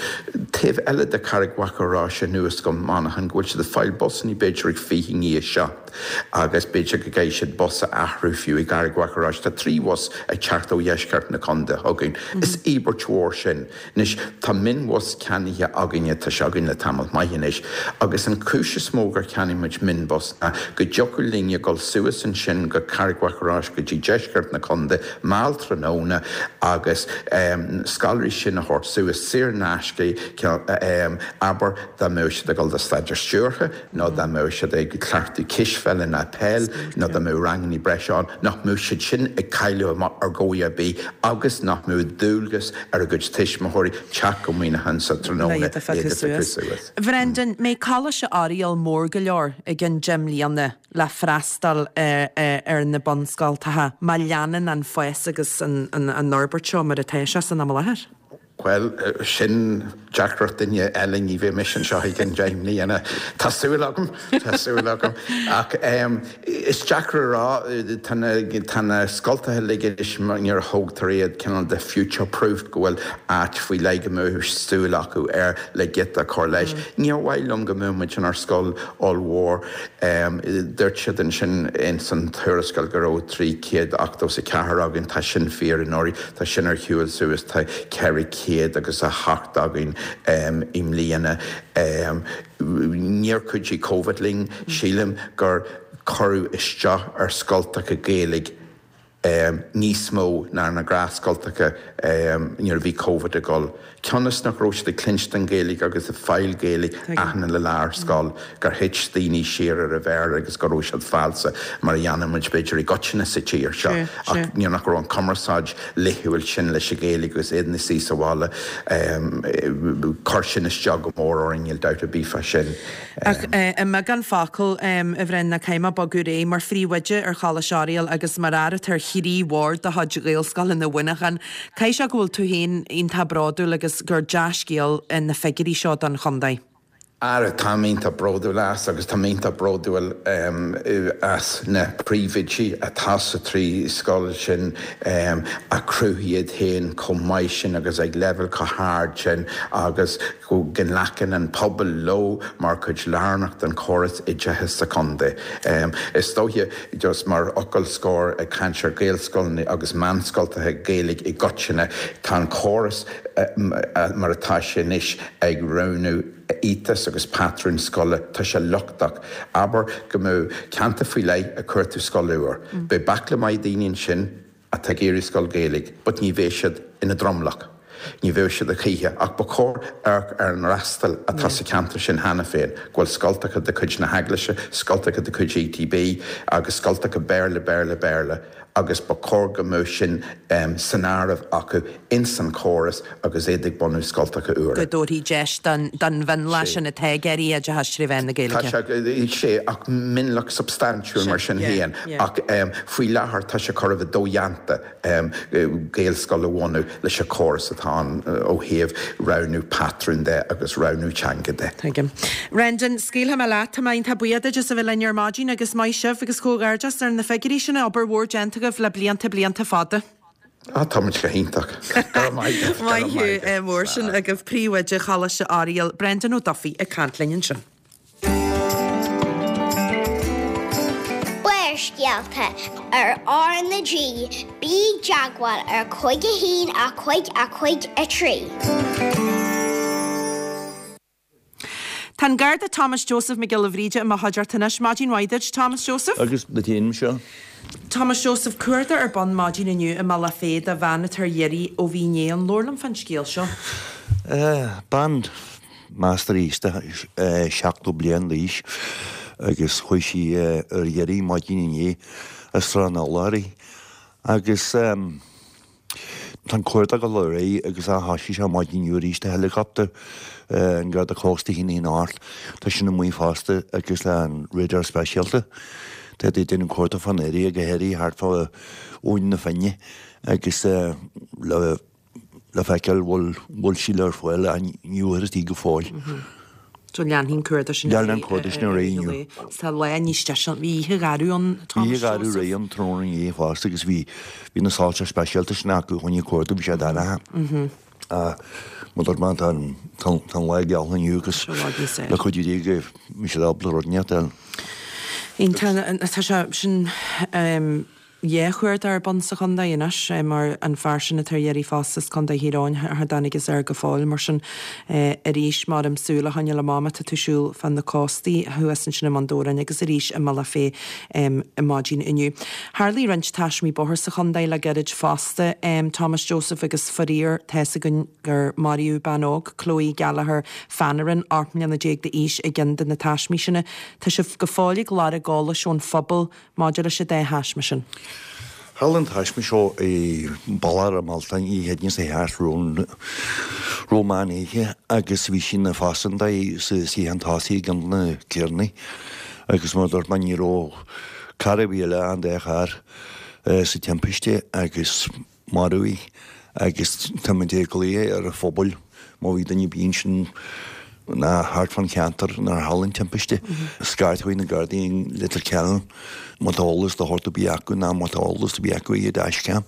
taobh eile de Charraig Mhachaire Rois anuas go Manchain, go bhfuil siad ag fáil busannaí b'fhéidir ag fiche i ndiaidh a seacht. Agus b'fhéidir go gcaithfidh siad bus a athrú fiú i gCarraig Mhachaire Rois. Tá trí bhus ag teacht ó dheisceart na contae chugainn. Is íobairt mhór sin. Anois, tá mionbhus ceannaithe againne, tá sé againn le tamall maith anois, agus an chúis is mó gur cheannaigh muid mionbhus ná go dtiocfadh linne dul suas ansin go Carraig Mhachaire Rois go dtí deisceart na contae mall tráthnóna agus scoláirí sin a thabhairt suas saor in aisce, abair dá mbeadh siad ag dul do staidéar stiúrtha nó dá mbeadh siad ag cleachtadh cispheile ná peil nó dá mbeadh rangannaí breise ann, nach mbeadh siad sin ag cailleadh amach ar dhóigh ar bith agus nach mbeadh dualgas ar a gcuid tuismitheoirí teacht go Muineachán sa tráthnóna le iad a phiocadh suas. Bhrendan, mbeidh Coláiste Oiriall mór go leor i gcionn deich mbliana le freastal ar na bunscoltacha má leanann an fás agus an fhorbairt seo mar atá sé san am i láthair? Bhuel, sin deacracht duine eile, ní bheidh mise anseo i gcionn deich mbliana. Tá súil agam, tá súil agam. Ach is deacair a rá, tá na, tá na scoltacha uilig anois nuair a thógtar iad cineál de future proofed, go bhfuil áit faoi leith go mbeadh súil acu air le giota a chur leis. Níor mhaith liom go mbeadh muid inár scoil ollmhór. Dúirt siad ansin ins an tuarascáil go raibh trí chéad ochtó is a ceathair againn, tá sin fíor anuraidh, tá sin ar shiúl suas, tá ceithre chéad agus a hocht againn i mbliana. Níor chuidigh Covid linn, sílim gur cuireadh isteach ar scoltacha Gaeilge níos mó ná na gnáthscoltacha nuair a bhí Covid ag dul. Cionn is nach raibh siad ag cluinstin Gaeilge agus ag fáil Gaeilge achan uile lá ar scoil, gur thit daoine siar ar an Bhéarla agus go raibh siad falsa, mar a dhéanann muid b'fhéidir i gcoitinne sa tír seo, ach nuair nach raibh an cumarsáid laethúil sin leis an Ghaeilge agus iad ina suí sa bhaile, chuir sin isteach go mór orainn, níl dabht ar bith fá sin. Ach i mbeagán focal, a Bhreandáin, caithfidh mé bogadar aghaidh, mar phríomhoide ar Choláiste Oiriall agus mar fhear atá ar thrí bhord de chuid Ghaelscoileanna Mhuineacháin, caithfidh sé go bhfuil tú féin iontach bródúil agus gur dea-scéal na figiúirí seo don chontae. Ara, táim iontach bródúil as agus táim iontach bródúil as na príomhoidí atá sa trí scoil sin a chruthaigh iad féin chomh maith sin agus ag leibhéal chomh hard sin agus go nglacann an pobal leo mar chuid lárnach den chóras oideachais sa chontae. Is dóiche, just mar fhocal scoir ag caint ar Ghaelscoileanna agus meánscoltacha Gaeilge i gcoitinne, tá an córas mar atá sé anois ag roghnú éiteas agus patrún scoile, tá sé lochtach. Abair go mbeadh ceantar faoi leith ag cuartú scoil úr. Beidh baicle maith daoine ansin atá ag iarraidh scoil Gaeilge, but ní bheidh siad ina dtromlach. Ní bheidh siad a choíche. Ach ba chóir amharc ar an fhreastal atá sa cheantar sin cheana féin, go bhfuil scoltacha de chuid na hEaglaise, scoltacha de chuid ETB agus scoltacha Béarla, Béarla, Béarla. agus ba chóir go mbeadh sin san áireamh acu ins an chóras agus iad ag bunú scoltacha úra. go dtabharfaí deis don mhionlach sin atá ag iarraidh oideachas trí mheán na Gaeilge. Tá sé, ach mionlach substaintiúil mar sin féin, ach faoi láthair tá sé chóir a bheith dodhéanta Gaelscoil a bhunú leis an chóras atá ann ó thaobh roghnú patrún de agus roghnú teanga de. Tuigim. Brendan, scaoilfidh mé leat. Tá mé iontach buíoch duit as a bheith linn ar maidin agus maith sibh agus comhghairdeas ar na figiúirí sin, obair mhór déanta agaibh le blianta, blianta fada. Ah, tá muid go hiontach. Go raibh maith agat. Maith thú mór sin agaibh Príomhoide Choláiste Oiriall, Brendan Ó Dufaigh ag caint linn ansin. Barrscéalta ar R na G, bí i dteagmháil ar cúig a haon a cúig a cúig a trí. Tá an Garda Thomas Joseph Mac Giolla Bhríde i mo chuideachta anois. Maidin mhaith duit, Thomas Joseph. Agus duit féin, Michelle. Thomas Joseph, cuardach ar bun maidin inniu i mBealach Féich do bhean atá ar iarraidh ó bhí inné. An labhair liom fán scéal seo. Bean meastar aosta seachtó bliain d'aois agus chuaigh sí ar iarraidh maidin inné as Srath na Lorry agus Tá an cuardach ag dul ar aghaidh agus thoisigh sé maidin inniu arís tá helicopter an Garda Cósta a haon a haon ocht, tá sin amuigh fosta agus an radar speisialta. Tá siad ag déanamh cuardach fán area go háirithe thart fá Abhainn na Finne agus le le feiceáil bhfuil bhfuil sí le fáil ach ní bhfuarthas í go fóill. So leanfaidh an cuardach sin ar Leanfaidh an cuardach sin ar aghaidh inniu. Tá lá níos deise, bhí oíche gharbh ann, Bhí Thomas oíche gharbh Joseph. réidh ann tráthnóna inné fosta agus bhí bhí na soilse speisialta sin acu chun an cuardach, bhí sé dorcha. Mar a dúirt mé, tá an tá an lá geal inniu agus Tá lá níos le cuidiú Dé go mbeidh siad ábalta rud inteacht a fháil. Iontach, tá sé sin Dhá chuardach ar bun sa chontae anois mar an fear sin atá ar iarraidh fosta as Contae Thír Eoghain char dtáinig fhios air go fóill. Mar sin arís maram súil a choinneáil amach má tá tú ag siúl fá na cóstaí thuas ansin i mBun Dobhráin agus arís i mBealach Féich maidin inniu. Tharlaigh roinnt taismí bóthair sa chontae le gairid fosta. Thomas Joseph agus faraor tá's againn gur maraíodh bean óg, Chloe Gallagher Fannerin, ocht mbliana déag d'aois i gceann de na taismí sin. Tá sibh go fóill ag lorg eolais ón phobal Maidir leis an dá thaisme sin. Tharla an taisme seo i mBealach Ráth Mealtain oíche Chéadaoin seo thart roimh meán oíche agus bhí sí ina phaisinéir sa suíochán tosaigh i gceann de na carranna agus mar a dúirt mé ní raibh carr ar bith eile ach an dá charr sa timpiste agus maraíodh í agus táimid ag glaoch ar an phobal má bhí duine ar bith ansin ná thart fán cheantar nuair a tharla an timpiste, scairt chuig na Gardaí i Leitir Ceanainn má tá eolas de shórt ar bith acu ná má tá eolas ar bith acu ar dashcam.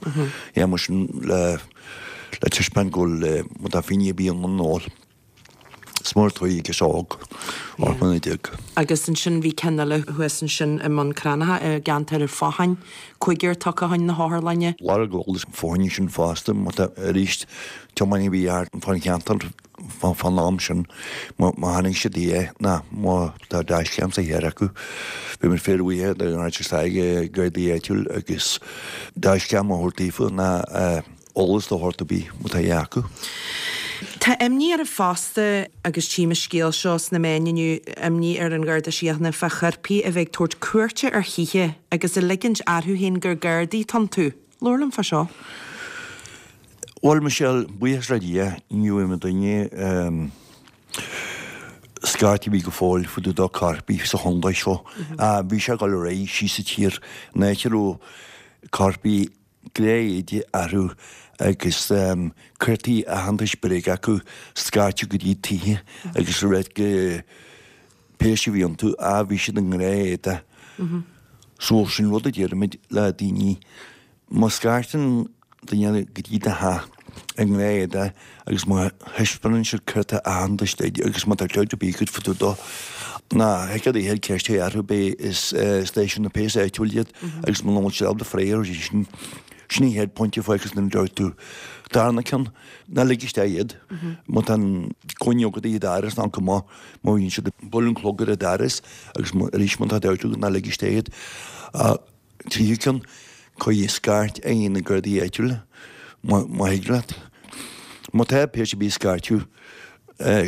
Yeah, mar sin le le taispeáint go bhfuil má tá finné ar bith in ann eolas. Is mór tuí agus óg, ocht mbliana déag. Agus ansin bhí ceann eile thuas ansin i mBun Cranncha i gceantar an Photháin, cúigear tugtha chun na hotharlainne. Lorg eolas fá choinne sin fosta, má tá arís tiománaí a bhí thart fán cheantar fán am sin, má chonaic siad é ná má tá dashcam sa charr acu, bheadh muid fíorbhuíoch dá n-áit isteach ag Gardaí áitiúil agus dashcam a thabhairt daofa ná eolas de shórt ar bith má tá é acu. Tá imní oraibh fosta, agus tchím an scéal seo sna meáin inniu, imní ar an Gharda Síochána fá choirpigh a bheith ag tabhairt cuairte ar thithe agus ag ligint orthu féin gur Gardaí atá iontu. Labhair liom fá seo. Bhuel, Michelle, buíochas le Dia, ní bhfuair muidinne scairt ar bith go fóill fá dtaobh de choirpigh sa chontae seo. Bhí sé ag dul ar aghaidh síos sa tír, an áit a raibh coirpigh gnáth-éide orthu agus cártaí aitheantais bréige acu scairteadh go dtí tithe agus rud go péas a bhí iontu, á bhí siad i ngnáth-éide. So sin rud a deirimid le daoine, má scairteann duine go dtí do theach i ngnáth-éide agus má thaispeánann siad cárta aitheantais duit agus má tá dabht ar bith agat fá dtaobh dó, ná thig leat a cheist a chur orthu b'é is stáisiún na péas áitiúil iad agus muna bhfuil siad ábalta freagra a thabhairt sin, sin an chéad pointe fágtha san dabht tú. Darna ceann, ná lig isteach iad. Má tá an coinne agat iad a fhearas ná go maith, má bhíonn siad ag bualadh an clog ar an doras agus arís má tá dabht agat ná lig isteach iad. Tríú ceann, cuir scairt ar na Gardaí áitiúla, má thig leat. Má tá péas ar bith ag scairteadh,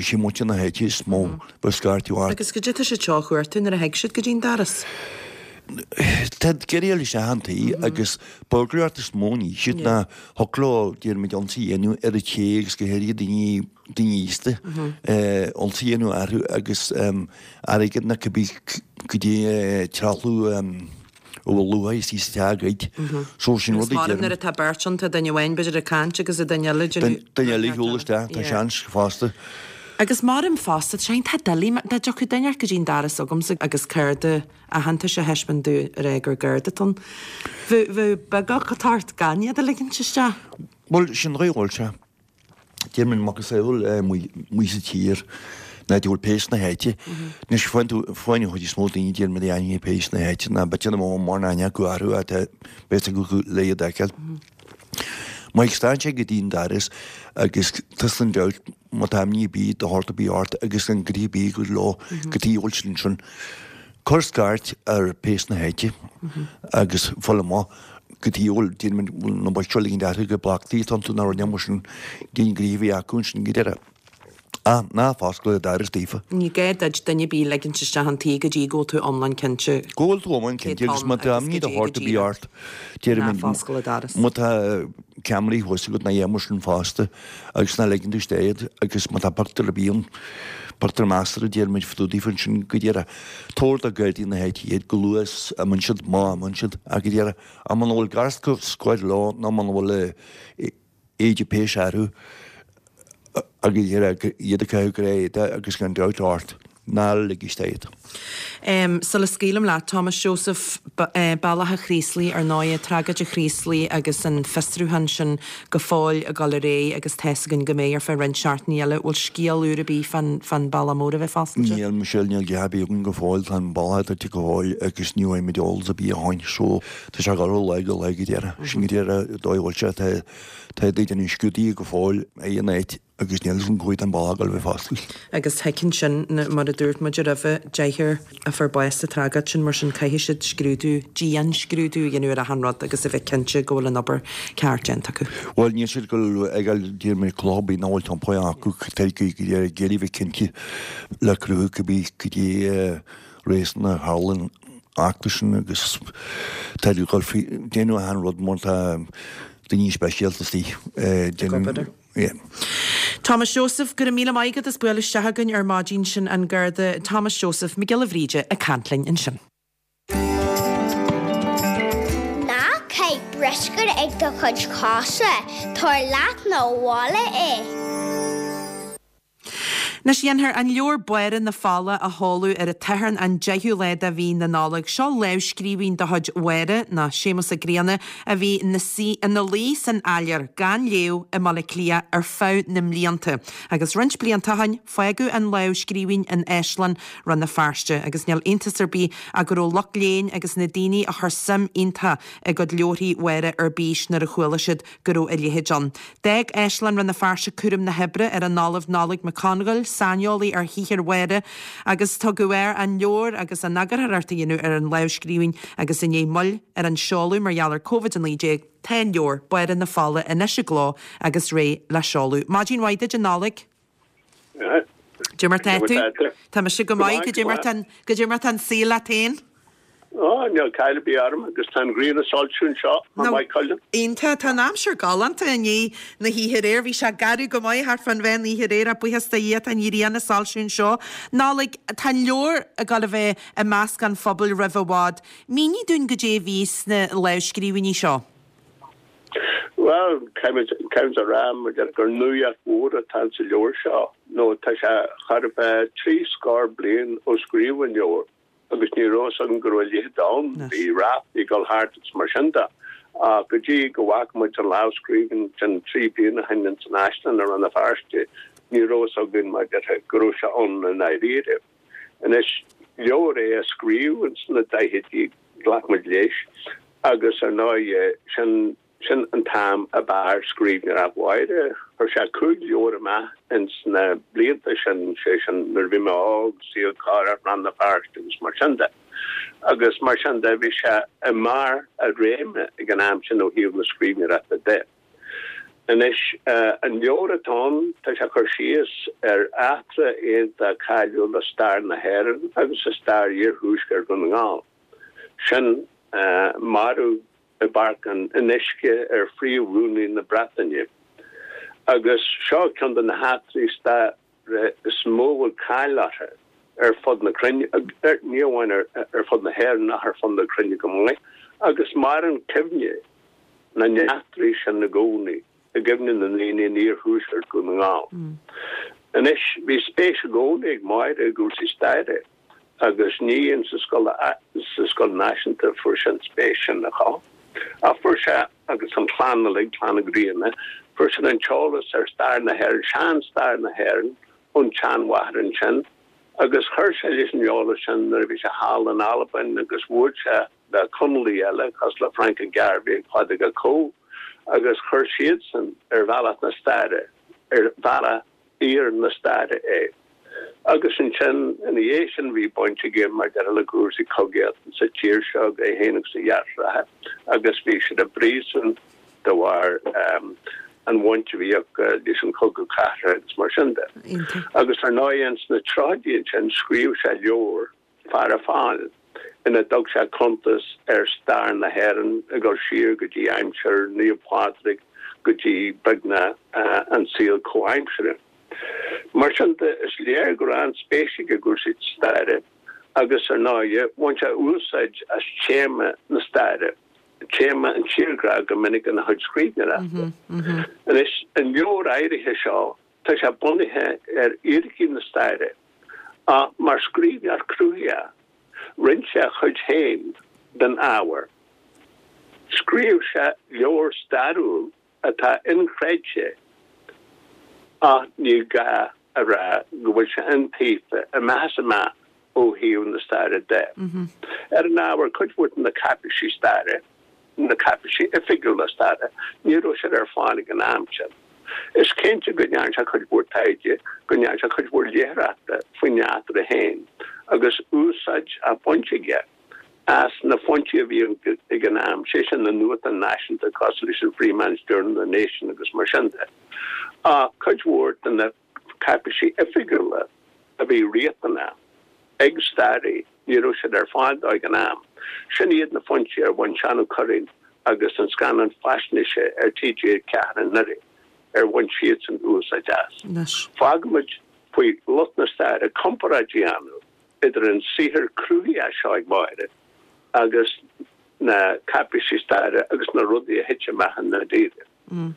sé muintir na háite is mó a scairteadh ort. Agus goidé tá siad seo a chuartú nuair a thig siad go dtí'n doras? Tá ag iarraidh a fháil isteach an tí agus burglary is mó a ní siad ná thiocfadh leo déarfaimid ionsaí a dhéanamh ar an té agus go háirithe daoine daoine aosta ionsaí a dhéanamh orthu agus airgead nó cibé goidé trealamh a bhfuil luach istigh sa teach a ghoid. So sin rud a deirim. Nuair atá beirt ann, tá duine amháin b'fhéidir ag caint agus an duine eile ag déanamh. Duine eile ag siúl isteach, tá seans fosta. Agus maram fosta, tá sé iontach doiligh, dá dtiocfadh duine go dtí'n doras agamsa agus cárta aitheantais a thaispeáint domh ag rá gur Garda atá ann. Bheadh bheadh beagach ort gan iad a ligint isteach. Bhuel, sin an dóigh a bhfuil sé. Déarfainn macasamhail amuigh sa tír ná go bhfuil péas na háite. Anois faigheann tú, faigheann an chuid is mó daoine déarfainn muid aithne ar péas na háite ná b'fhéidir nach mbeadh mórán aithne acu orthu ach tá fhios acu le iad a fheiceáil. Má stad sé go dtí an doras agus tusa gan dabht má tá imní ar bith de shórt ar bith ort agus gan gnoithe ar bith agat leo go dtí a bhfuil siad ansin. Cuir scairt ar péas na háite agus fáil amach go dtí a bhfuil, déarfaimid, bhfuil na boicht seo ligint orthu gur bleachtairí atá iontu nó rud mar sin, cén gnoithe a bhí acu ansin go deireadh. Ah, ná foscail an doras daofa. Ní gá duit duine ar bith a ligint isteach an tí go dtí go bhfuil tú iomlán cinnte. Go bhfuil tú iomlán cinnte agus má tá imní de shórt ar bith ort, déarfaimid, má tá ceamaraí thuas agat nó a dhath mar sin fosta agus ná ligeann tú isteach iad agus má tá pictiúr ar bith ann, pictiúr measartha, déarfaimid, fá dtaobh daofa ansin go díreach. Tabhair do Ghardaí na háite iad chomh luath is a imíonn siad, má imíonn siad, ach go díreach. Ach muna bhfuil garscáil leo nó muna bhfuil éide péis orthu agus iad ag caitheamh gnáth-éide agus gan dabht ort, ná lig isteach iad. Sula scaoilim leat, Thomas Joseph, Bealach a' Chraoslaigh, ar ndóigh, tragóid an Chraoslaigh agus an fiosrúchán sin go fóill ag dul ar aghaidh agus tá's againn go mbeidh ar feadh roinnt seachtainí eile. Bhfuil scéal úr ar bith fán fán bealach mór a bheith foscailte? Níl, Michelle, níl a dhath ar bith againn go fóill. Tá an bealach druidte go fóill agus ní bhfaighimid eolas ar bith ó shin so tá sé ag dul ó lá go lá go deireadh. Sin go deireadh, an dóigh a bhfuil sé, tá Tá daoine ag déanamh scrúduithe go fóill ag an áit agus níl fhios agam cá huair atá an bealach ag dul a bheith foscailte. Agus thuigfinn sin, mar a dúirt muid roimhe, deichniúr a fuair bás sa tragóid sin, mar sin caithfidh siad scrúdú, dian-scrúdú a dhéanamh ar achan rud agus a bheith cinnte go bhfuil an obair ceart déanta acu. Bhuel, níl siad ag dul ag dul déarfaidh mé cloch ar bith nach bhfuil iompaithe acu, tá ag iarraidh a bheith cinnte le cruthú cibé cad é réasún a tharla an eachtra sin agus tá ag dul faoi déanamh achan rud mar tá daoine speisialta istigh déanamh yeah. Thomas Joseph, Go raibh míle maith agat as bualadh isteach againn ar maidin sin an Garda Thomas Joseph Mac Giolla Bhríde ag caint linn ansin. Ná caith bruscar ag do chuid cosa, tabhair leat 'na bhaile é. Anois dhéanfar an leabhar Báire na Fola a sheoladh ar an tSatharn an deichiú lá de mhí na Nollag. Seo lámhscríbhinn de chuid Mháire, nó Séamus Ó Grianna, a bhí ina luí san áiléar, gan léamh, i mBaile Átha Cliath ar feadh na mblianta. Agus roinnt blianta ó shin, fágadh an lámhscríbhinn in Áislann Rann na Feirste. Agus níl iontas ar bith ach go raibh lucht léinn agus na daoine a chuir suim iontach i gcuid leabharthaí Mháire ar bís nuair a chuala siad go raibh a leithéid ann. D'fhág Áislann Rann na Feirste cúram na hoibre ar an Ollamh Nollaig Mac Congáil, saineolaí ar shaothar Mháire, agus tugadh air an leabhar agus an eagarthóireacht a dhéanamh ar an lámhscríbhinn agus i ndiaidh moill ar an seoladh mar gheall ar Covid a naoi déag, tá an leabhar, Báire na Fola, anois i gcló agus réidh le seoladh. Maidin mhaith duit, a Nollaig. Cad é mar tá tú? Tá mise go maith, cad é mar tá, cad é mar tá an saol leat féin? Ó, níl caill ar bith orm agus tá an ghrian ag soilsiú anseo i Maigh Cuilinn. Iontach, tá an aimsir galánta i ndiaidh na hoíche aréir. Bhí sé garbh go maith thart fán mheán oíche aréir ach buíochas do Dhia tá an ghrian ag soilsiú anseo. Nollaig, tá an leabhar ag dul a bheith i measc an phobail roimh i bhfad. Mínigh dúinn goidé a bhí sna lámhscríbhinní seo. Bhuel, caithfimid a rá mar deir gur nuaíocht mhór atá sa leabhar seo nó tá sé chóir a bheith trí scór bliain ó scríobhadh an leabhar agus ní raibh fhios againn go raibh a leithéid ann. Bhí ráflaí ag dul thart agus mar sin de. Ach go dtí go bhfaca muid an lámhscríbhinn sin trí bliana ó shin ins an Áislann i Rann na Feirste, ní raibh fhios againn mar deir go raibh sé ann i ndáiríre. Anois, leabhar é a scríobhadh ins na daichidí, ghlac muid leis, agus ar ndóigh, sin Sin an t-am ab fhearr scríbhneoireacht Mháire. Chuir sé cúig leabhar amach ins na blianta sin, sé sin Nuair a Bhí Mé Óg, Saol Corrach, Rann na Feirste agus mar sin de. Agus mar sin de bhí sé i mbarr a réime ag an am sin ó thaobh na scríbhneoireachta de. Anois, an leabhar atá ann, tá sé ag cur síos ar eachtra iontach cáiliúil i stair na hÉireann agus i stair iarthuaisceart Dhún na nGall. Sin marú i bPáirc an Fhionnuisce ar Phríomh-Rúnaí na Breataine. Agus seo ceann de na heachtraí staire is mó a bhfuil cáil orthu ar fud na cruinne, ní amháin ar fud na hÉireann ach ar fud na cruinne go maith, agus maireann cuimhne na n-eachtraí sin i gcónaí i gcuimhne na ndaoine in iarthuaisceart Dhún na nGall. Anois, bhí spéis i gcónaí ag Máire i gcúrsaí staire. Agus ní in sa scoil sa scoil náisiúnta a fuair sé an spéis sin a chothú. Ach fuair sé, agus an chlann uilig, Clann Uí Ghrianna, fuair siad an t-eolas ar stair na hÉireann, sean-stair na hÉireann, ón tseanmháthair ansin. Agus chuir sé leis an eolas sin nuair a bhí sé thall in Albain agus bhuail sé le Conallaigh eile, cosúil le Frank Garvey agus Pádraig Ó Conchubhair, agus chuir siadsan ar bhealach na staire, ar bhealach fhíor na staire é. Agus ansin, ina dhiaidh sin, bhí baint aige mar deir le cúrsaí cogaíochta sa tír seo, é féin agus a dheartháireacha, agus bhí siad i bpríosún de bharr an bhaint a bhí acu leis an Chogadh Cathartha agus mar sin de. Agus ar ndóigh, ins na tríochaidí ansin, scríobh sé leabhar, Faire Fáil, ina dtug sé cuntas ar stair na hÉireann ag dul siar go dtí aimsir Naomh Pádraig go dtí beagnach an saol comhaimseartha. Mar sin de, is léir go raibh an-spéis aige i gcúrsaí staire agus, ar ndóigh, bhain sé úsáid as téama na staire, téama an tírghrá go minic ina chuid scríbhneoireachta. Anois, an leabhar áirithe seo, tá sé bunaithe ar fhíricí na staire, ach mar scríbhneoir cruthaitheach, rinne sé a chuid féin den ábhar. Scríobh sé leabhar stairiúil atá inchreidte ach ní gá a rá go bhfuil sé iontaofa amach is amach ó thaobh na staire de. Ar an ábhar, cuid mhór de na cáipéisí staire, na cáipéisí oifigiúla staire, ní raibh siad ar fáil ag an am sin. Is cinnte go ndearna sé cuid mhór taighde, go ndearna sé cuid mhór léitheoireachta faoin eachtra féin agus úsáid á baint aige as na foinsí a bhí ag an am, sé sin na nuachtáin náisiúnta cosúil leis an Freeman's Journal, the Nation agus mar sin de. Ach cuid mhór de na cáipéisí oifigiúla a bhí riachtanach ag staraí, ní raibh siad ar fáil dó ag an am. Sin iad na foinsí ar bhain Seán Ó Curraoin agus an scannán faisnéise ar T G ceathair anuraidh, ar bhain siadsan úsáid as. Fágfaimid faoi lucht na staire comparáid a dhéanamh idir an saothar cruthaitheach seo ag Máire agus na cáipéisí staire agus na rudaí a thit amach i ndáiríre.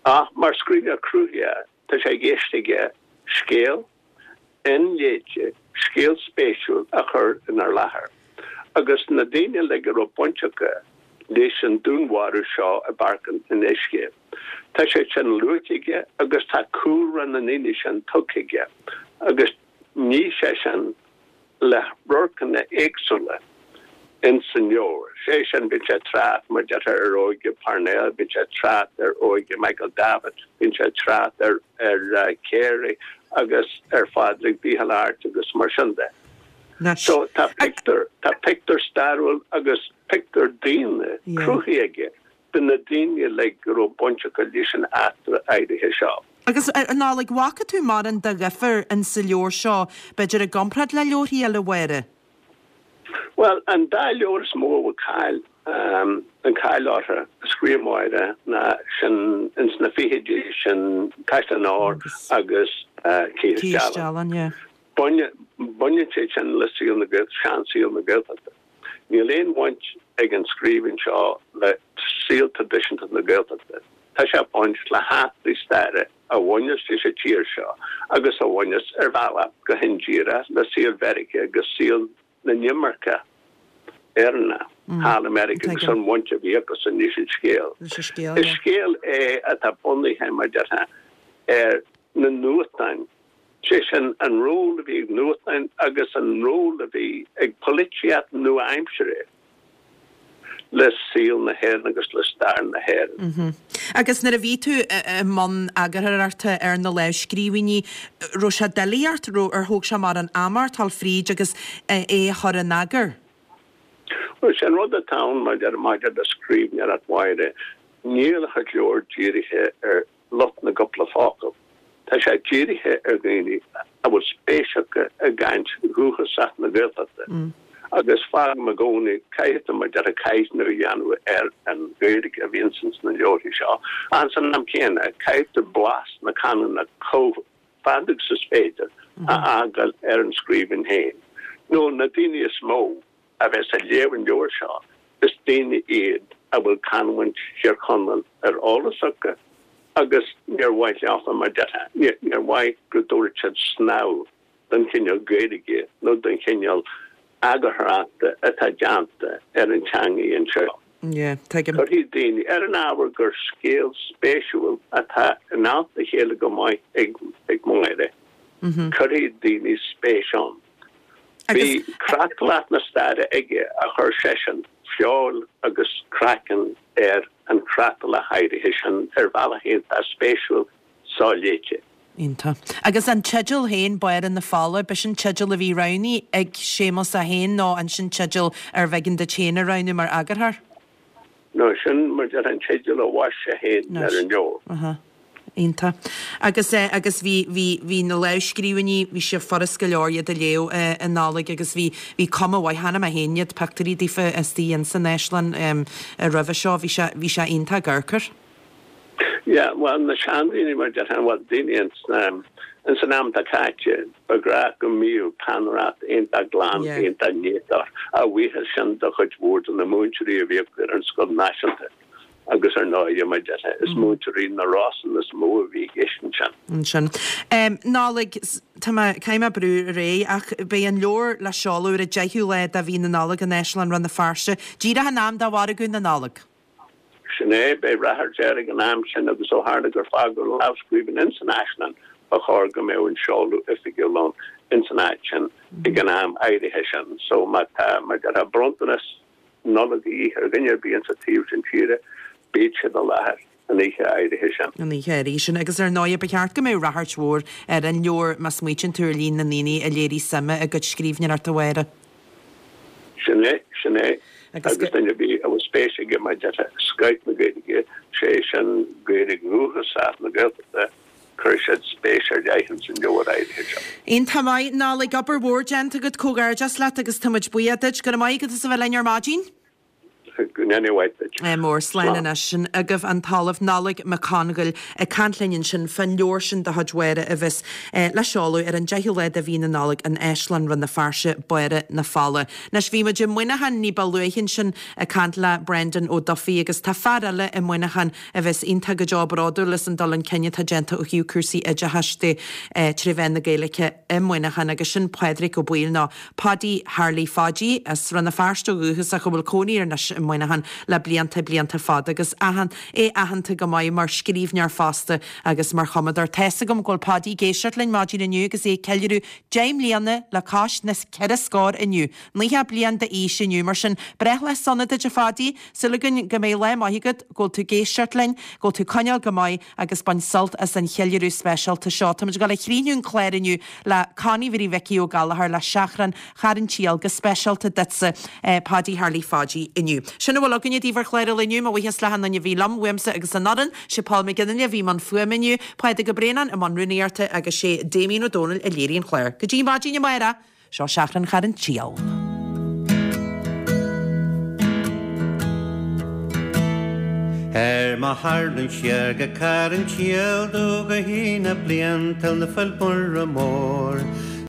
Ach mar scríbhneoir cruthaitheach, tá sé i gceist aige scéal inléite, scéal spéisiúil a chur inár láthair. Agus na daoine uilig a raibh baint acu leis an dúnmharú seo i bPáirc an Fhionnuisce, tá sé sin luaite aige agus tá cúlra na ndaoine sin tugtha aige agus ní sé sin le radharcanna éagsúla ins an leabhar. Sé sin, bíonn sé ag trácht, mar deirtear, ar óige Parnell, bíonn sé ag trácht ar óige Michael Davitt, bíonn sé ag trácht ar ar Carey agus ar Phádraig Mhichíl Airt agus mar sin de. So tá pictiúr, tá pictiúr stairiúil agus pictiúr daonna cruthaithe aige de na daoine uilig go raibh baint acu leis an eachtra áirithe seo. Agus a Nollaig, bhfaca tú mórán de dhifear in sa leabhar seo, b'fhéidir i gcomparáid le leabharthaí eile Mháire? Bhuel, an dá leabhar is mó a bhfuil cáil, an cáil orthu, a scríobh Máire ná sin ins na fichidí, sin Caisleán Óir agus Cith is Dealgan. Baineann sé sin le saol na, seansaol na Gaeltachta. Níl aon bhaint ag an scríbhinn seo le saol traidisiúnta na Gaeltachta, tá sé ag baint le heachtraí staire a bhaineas leis an tír seo agus a bhaineas ar bhealach go hindíreach le saol Mheiriceá agus saol na n-imirceach Éireannach thall i Meiriceá agus an bhaint a bhí acusan leis an scéal. Is scéal é atá bunaithe, mar déarfá, ar na nuachtáin, sé sin an ról a bhí ag nuachtáin agus an ról a bhí ag polaitíocht nua-aimseartha le saol na hÉireann agus le stair na hÉireann. Agus nuair a bhí tú i mbun eagarthóireachta ar na lámhscríbhinní, raibh sé doiligh ort, raibh, ar thóg sé mórán ama ort dul fríd agus é a chur in eagar? Bhuel, sé an rud atá ann maidir maidir le scríbhneoireacht Mháire, níl a chuid leabhar dírithe ar lucht na gcúpla focal. Tá sé dírithe ar dhaoine a bhfuil spéis acu i gcaint dhúchasach na Gaeltachta. Agus fágaim i gcónaí, caithfidh tú mar a déarfá caighdeánú a dhéanamh ar an Ghaeilge a bhíonn ins na leabharthaí seo. Ach san am céanna, caithfidh tú blas na canúna chomh fada agus is féidir a fhágáil ar an scríbhinn féin. Nó na daoine is mó a bheas ag léamh an leabhair seo, is daoine iad a bhfuil canúint Thír Chonaill ar eolas acu agus níor mhaith leofa, mar déarfá, níor mhaith go dtabharfadh siad snámh don chineál Gaeilge nó don chineál eagarthóireachta atá déanta ar an teangaidh anseo. Yeah, tuigim. Cuirfidh daoine, ar an ábhar gur scéal spéisiúil atá in alt a chéile go maith ag ag Máire, cuirfidh daoine spéis ann. Bhí creatlach na staire aige a chuir seisean feoil agus craiceann ar an chreatlach áirithe sin ar bhealach iontach spéisiúil soléite. Iontach. Agus an teideal féin, Báire na Fola, b'shin teideal a bhí roghnaithe ag Séamus é féin nó an sin teideal arbh éigean duit féin a roghnú mar eagarthóir? No, sin mar deir an teideal a bhaist sé féin ar an leabhar. Aha. Iontach. Agus eh, agus bhí, bhí, bhí na lámhscríbhinní, bhí sé furast go leor iad a léamh eh, a Nollaig agus bhí, bhí cuma mhaith, chonaic mé féin iad, pictiúirí daofa istigh ins an Áislann em, roimhe seo, bhí sé, bhí sé iontach ag amharc air. Yeah, bhuel, na seandaoine mar déarfá, bhuel, daoine ins na, ins an am atá caite, ba ghnách go mbíodh peannaireacht iontach glan, Yeah. iontach néatach, a bhuíochas sin do chuid mhór de na múinteoirí a bhíodh ar an scoil náisiúnta agus ar ndóigh, mar déarfá, is múinteoirí na Rosann is mó a bhí i gceist ansin. Ansin. Um, Nollaig, s- tá mé, caithfidh mé brú ar aghaidh ach beidh an leabhar le seoladh ar an deichiú lá de mhí na Nollag in Áislann Rann na Feirste, díreach in am do mhargadh na Nollag. Sin é, beidh ráchairt air ag an am sin agus ó tharla gur fágadh lámhscríbhinn ins an Áislann, ba chóir go mbeadh an seoladh oifigiúil ann ins an áit sin ag an am áirithe sin. So má tá, mar déarfá, bronntanas Nollag a dhíth ar dhuine ar bith ins an taobh sin tíre, bíodh siad i láthair an oíche áirithe sin. An oíche áirithe sin. Agus ar ndóigh, ba cheart go mbeadh ráchairt mhór ar an leabhar má smaoitíonn tú ar líon na ndaoine a léirigh suim i gcuid scríbhneoireachta Mháire. Sin é, sin é. Agus Agus duine ar bith a bhfuil spéis aige mar déarfá i scoth na Gaeilge, sé sin Gaeilge dhúchasach na Gaeltachta, cuirfidh siad spéis ar leith ins an leabhar áirithe seo. Iontach maith, Nollaig, obair mhór déanta agat, comhghairdeas leat agus tá muid buíoch duit. Go raibh maith agat as a bheith linn ar maidin. Go ndéana a mhaith duit. Mór slán Slán. anois. Sin agaibh an tOllamh Nollaig Mac Congail ag caint linn ansin fán leabhar sin de chuid Mháire a bheas le seoladh ar an deichiú lá de mhí na Nollag in Áislann Rann na Feirste, Báire na Fola. Anois bhí muid i Muineachán ní ba luaithe ansin ag caint le Brendan Ó Dufaigh agus tá fear eile i Muineachán a bheas iontach go deo bródúil as an dul chun cinn atá déanta ó thaobh cúrsaí oideachais de tré mheán na Gaeilge i Muineachán agus sin Pádraig Ó Baoill nó Paudie Tharlaí Phaidí as Rann na Feirste ó dhúchas ach a bhfuil cónaí air anois i Muineachán le blianta blianta fada agus aithean é aitheanta go maith mar scríbhneoir fosta agus mar chumadóir. Tá's agam go bhfuil Paudie ag éisteacht linn maidin inniu agus é ag ceiliúradh deich mbliana le cois na ceithre scór inniu. Naocha bliain d'aois inniu mar sin breithlá sona duit a Phaudie, súil againn go mbeidh lá maith agat, go bhfuil tú ag éisteacht linn, go bhfuil tú ag coinneáil go maith agus bain sult as an cheiliúradh speisialta seo. Táimid ag dul a chríochnú an clár inniu le Connie Mhary Mhicí Ó Gallchóir le Seachrán Charn tSiáil go speisialta duitse, Paudie Tharlaí Phaidí inniu. Sin a bhfuil againne daoibh ar chlár an lae inniu, mo bhuíochas le achan duine a bhí liom, uaimse agus an fhoireann, sé Paul McGinley a bhí i mbun fuaime inniu, Pádraig Ó Braonáin i mbun rúnaíochta agus sé Damien Ó Dónaill a léirigh an clár. Go dtí maidin amárach, seo Seachrán Charn tSiáil. Ar mo tharraingt siar go Carn tSiáil domh go hAoine bliantúil na Féile Muire Mór.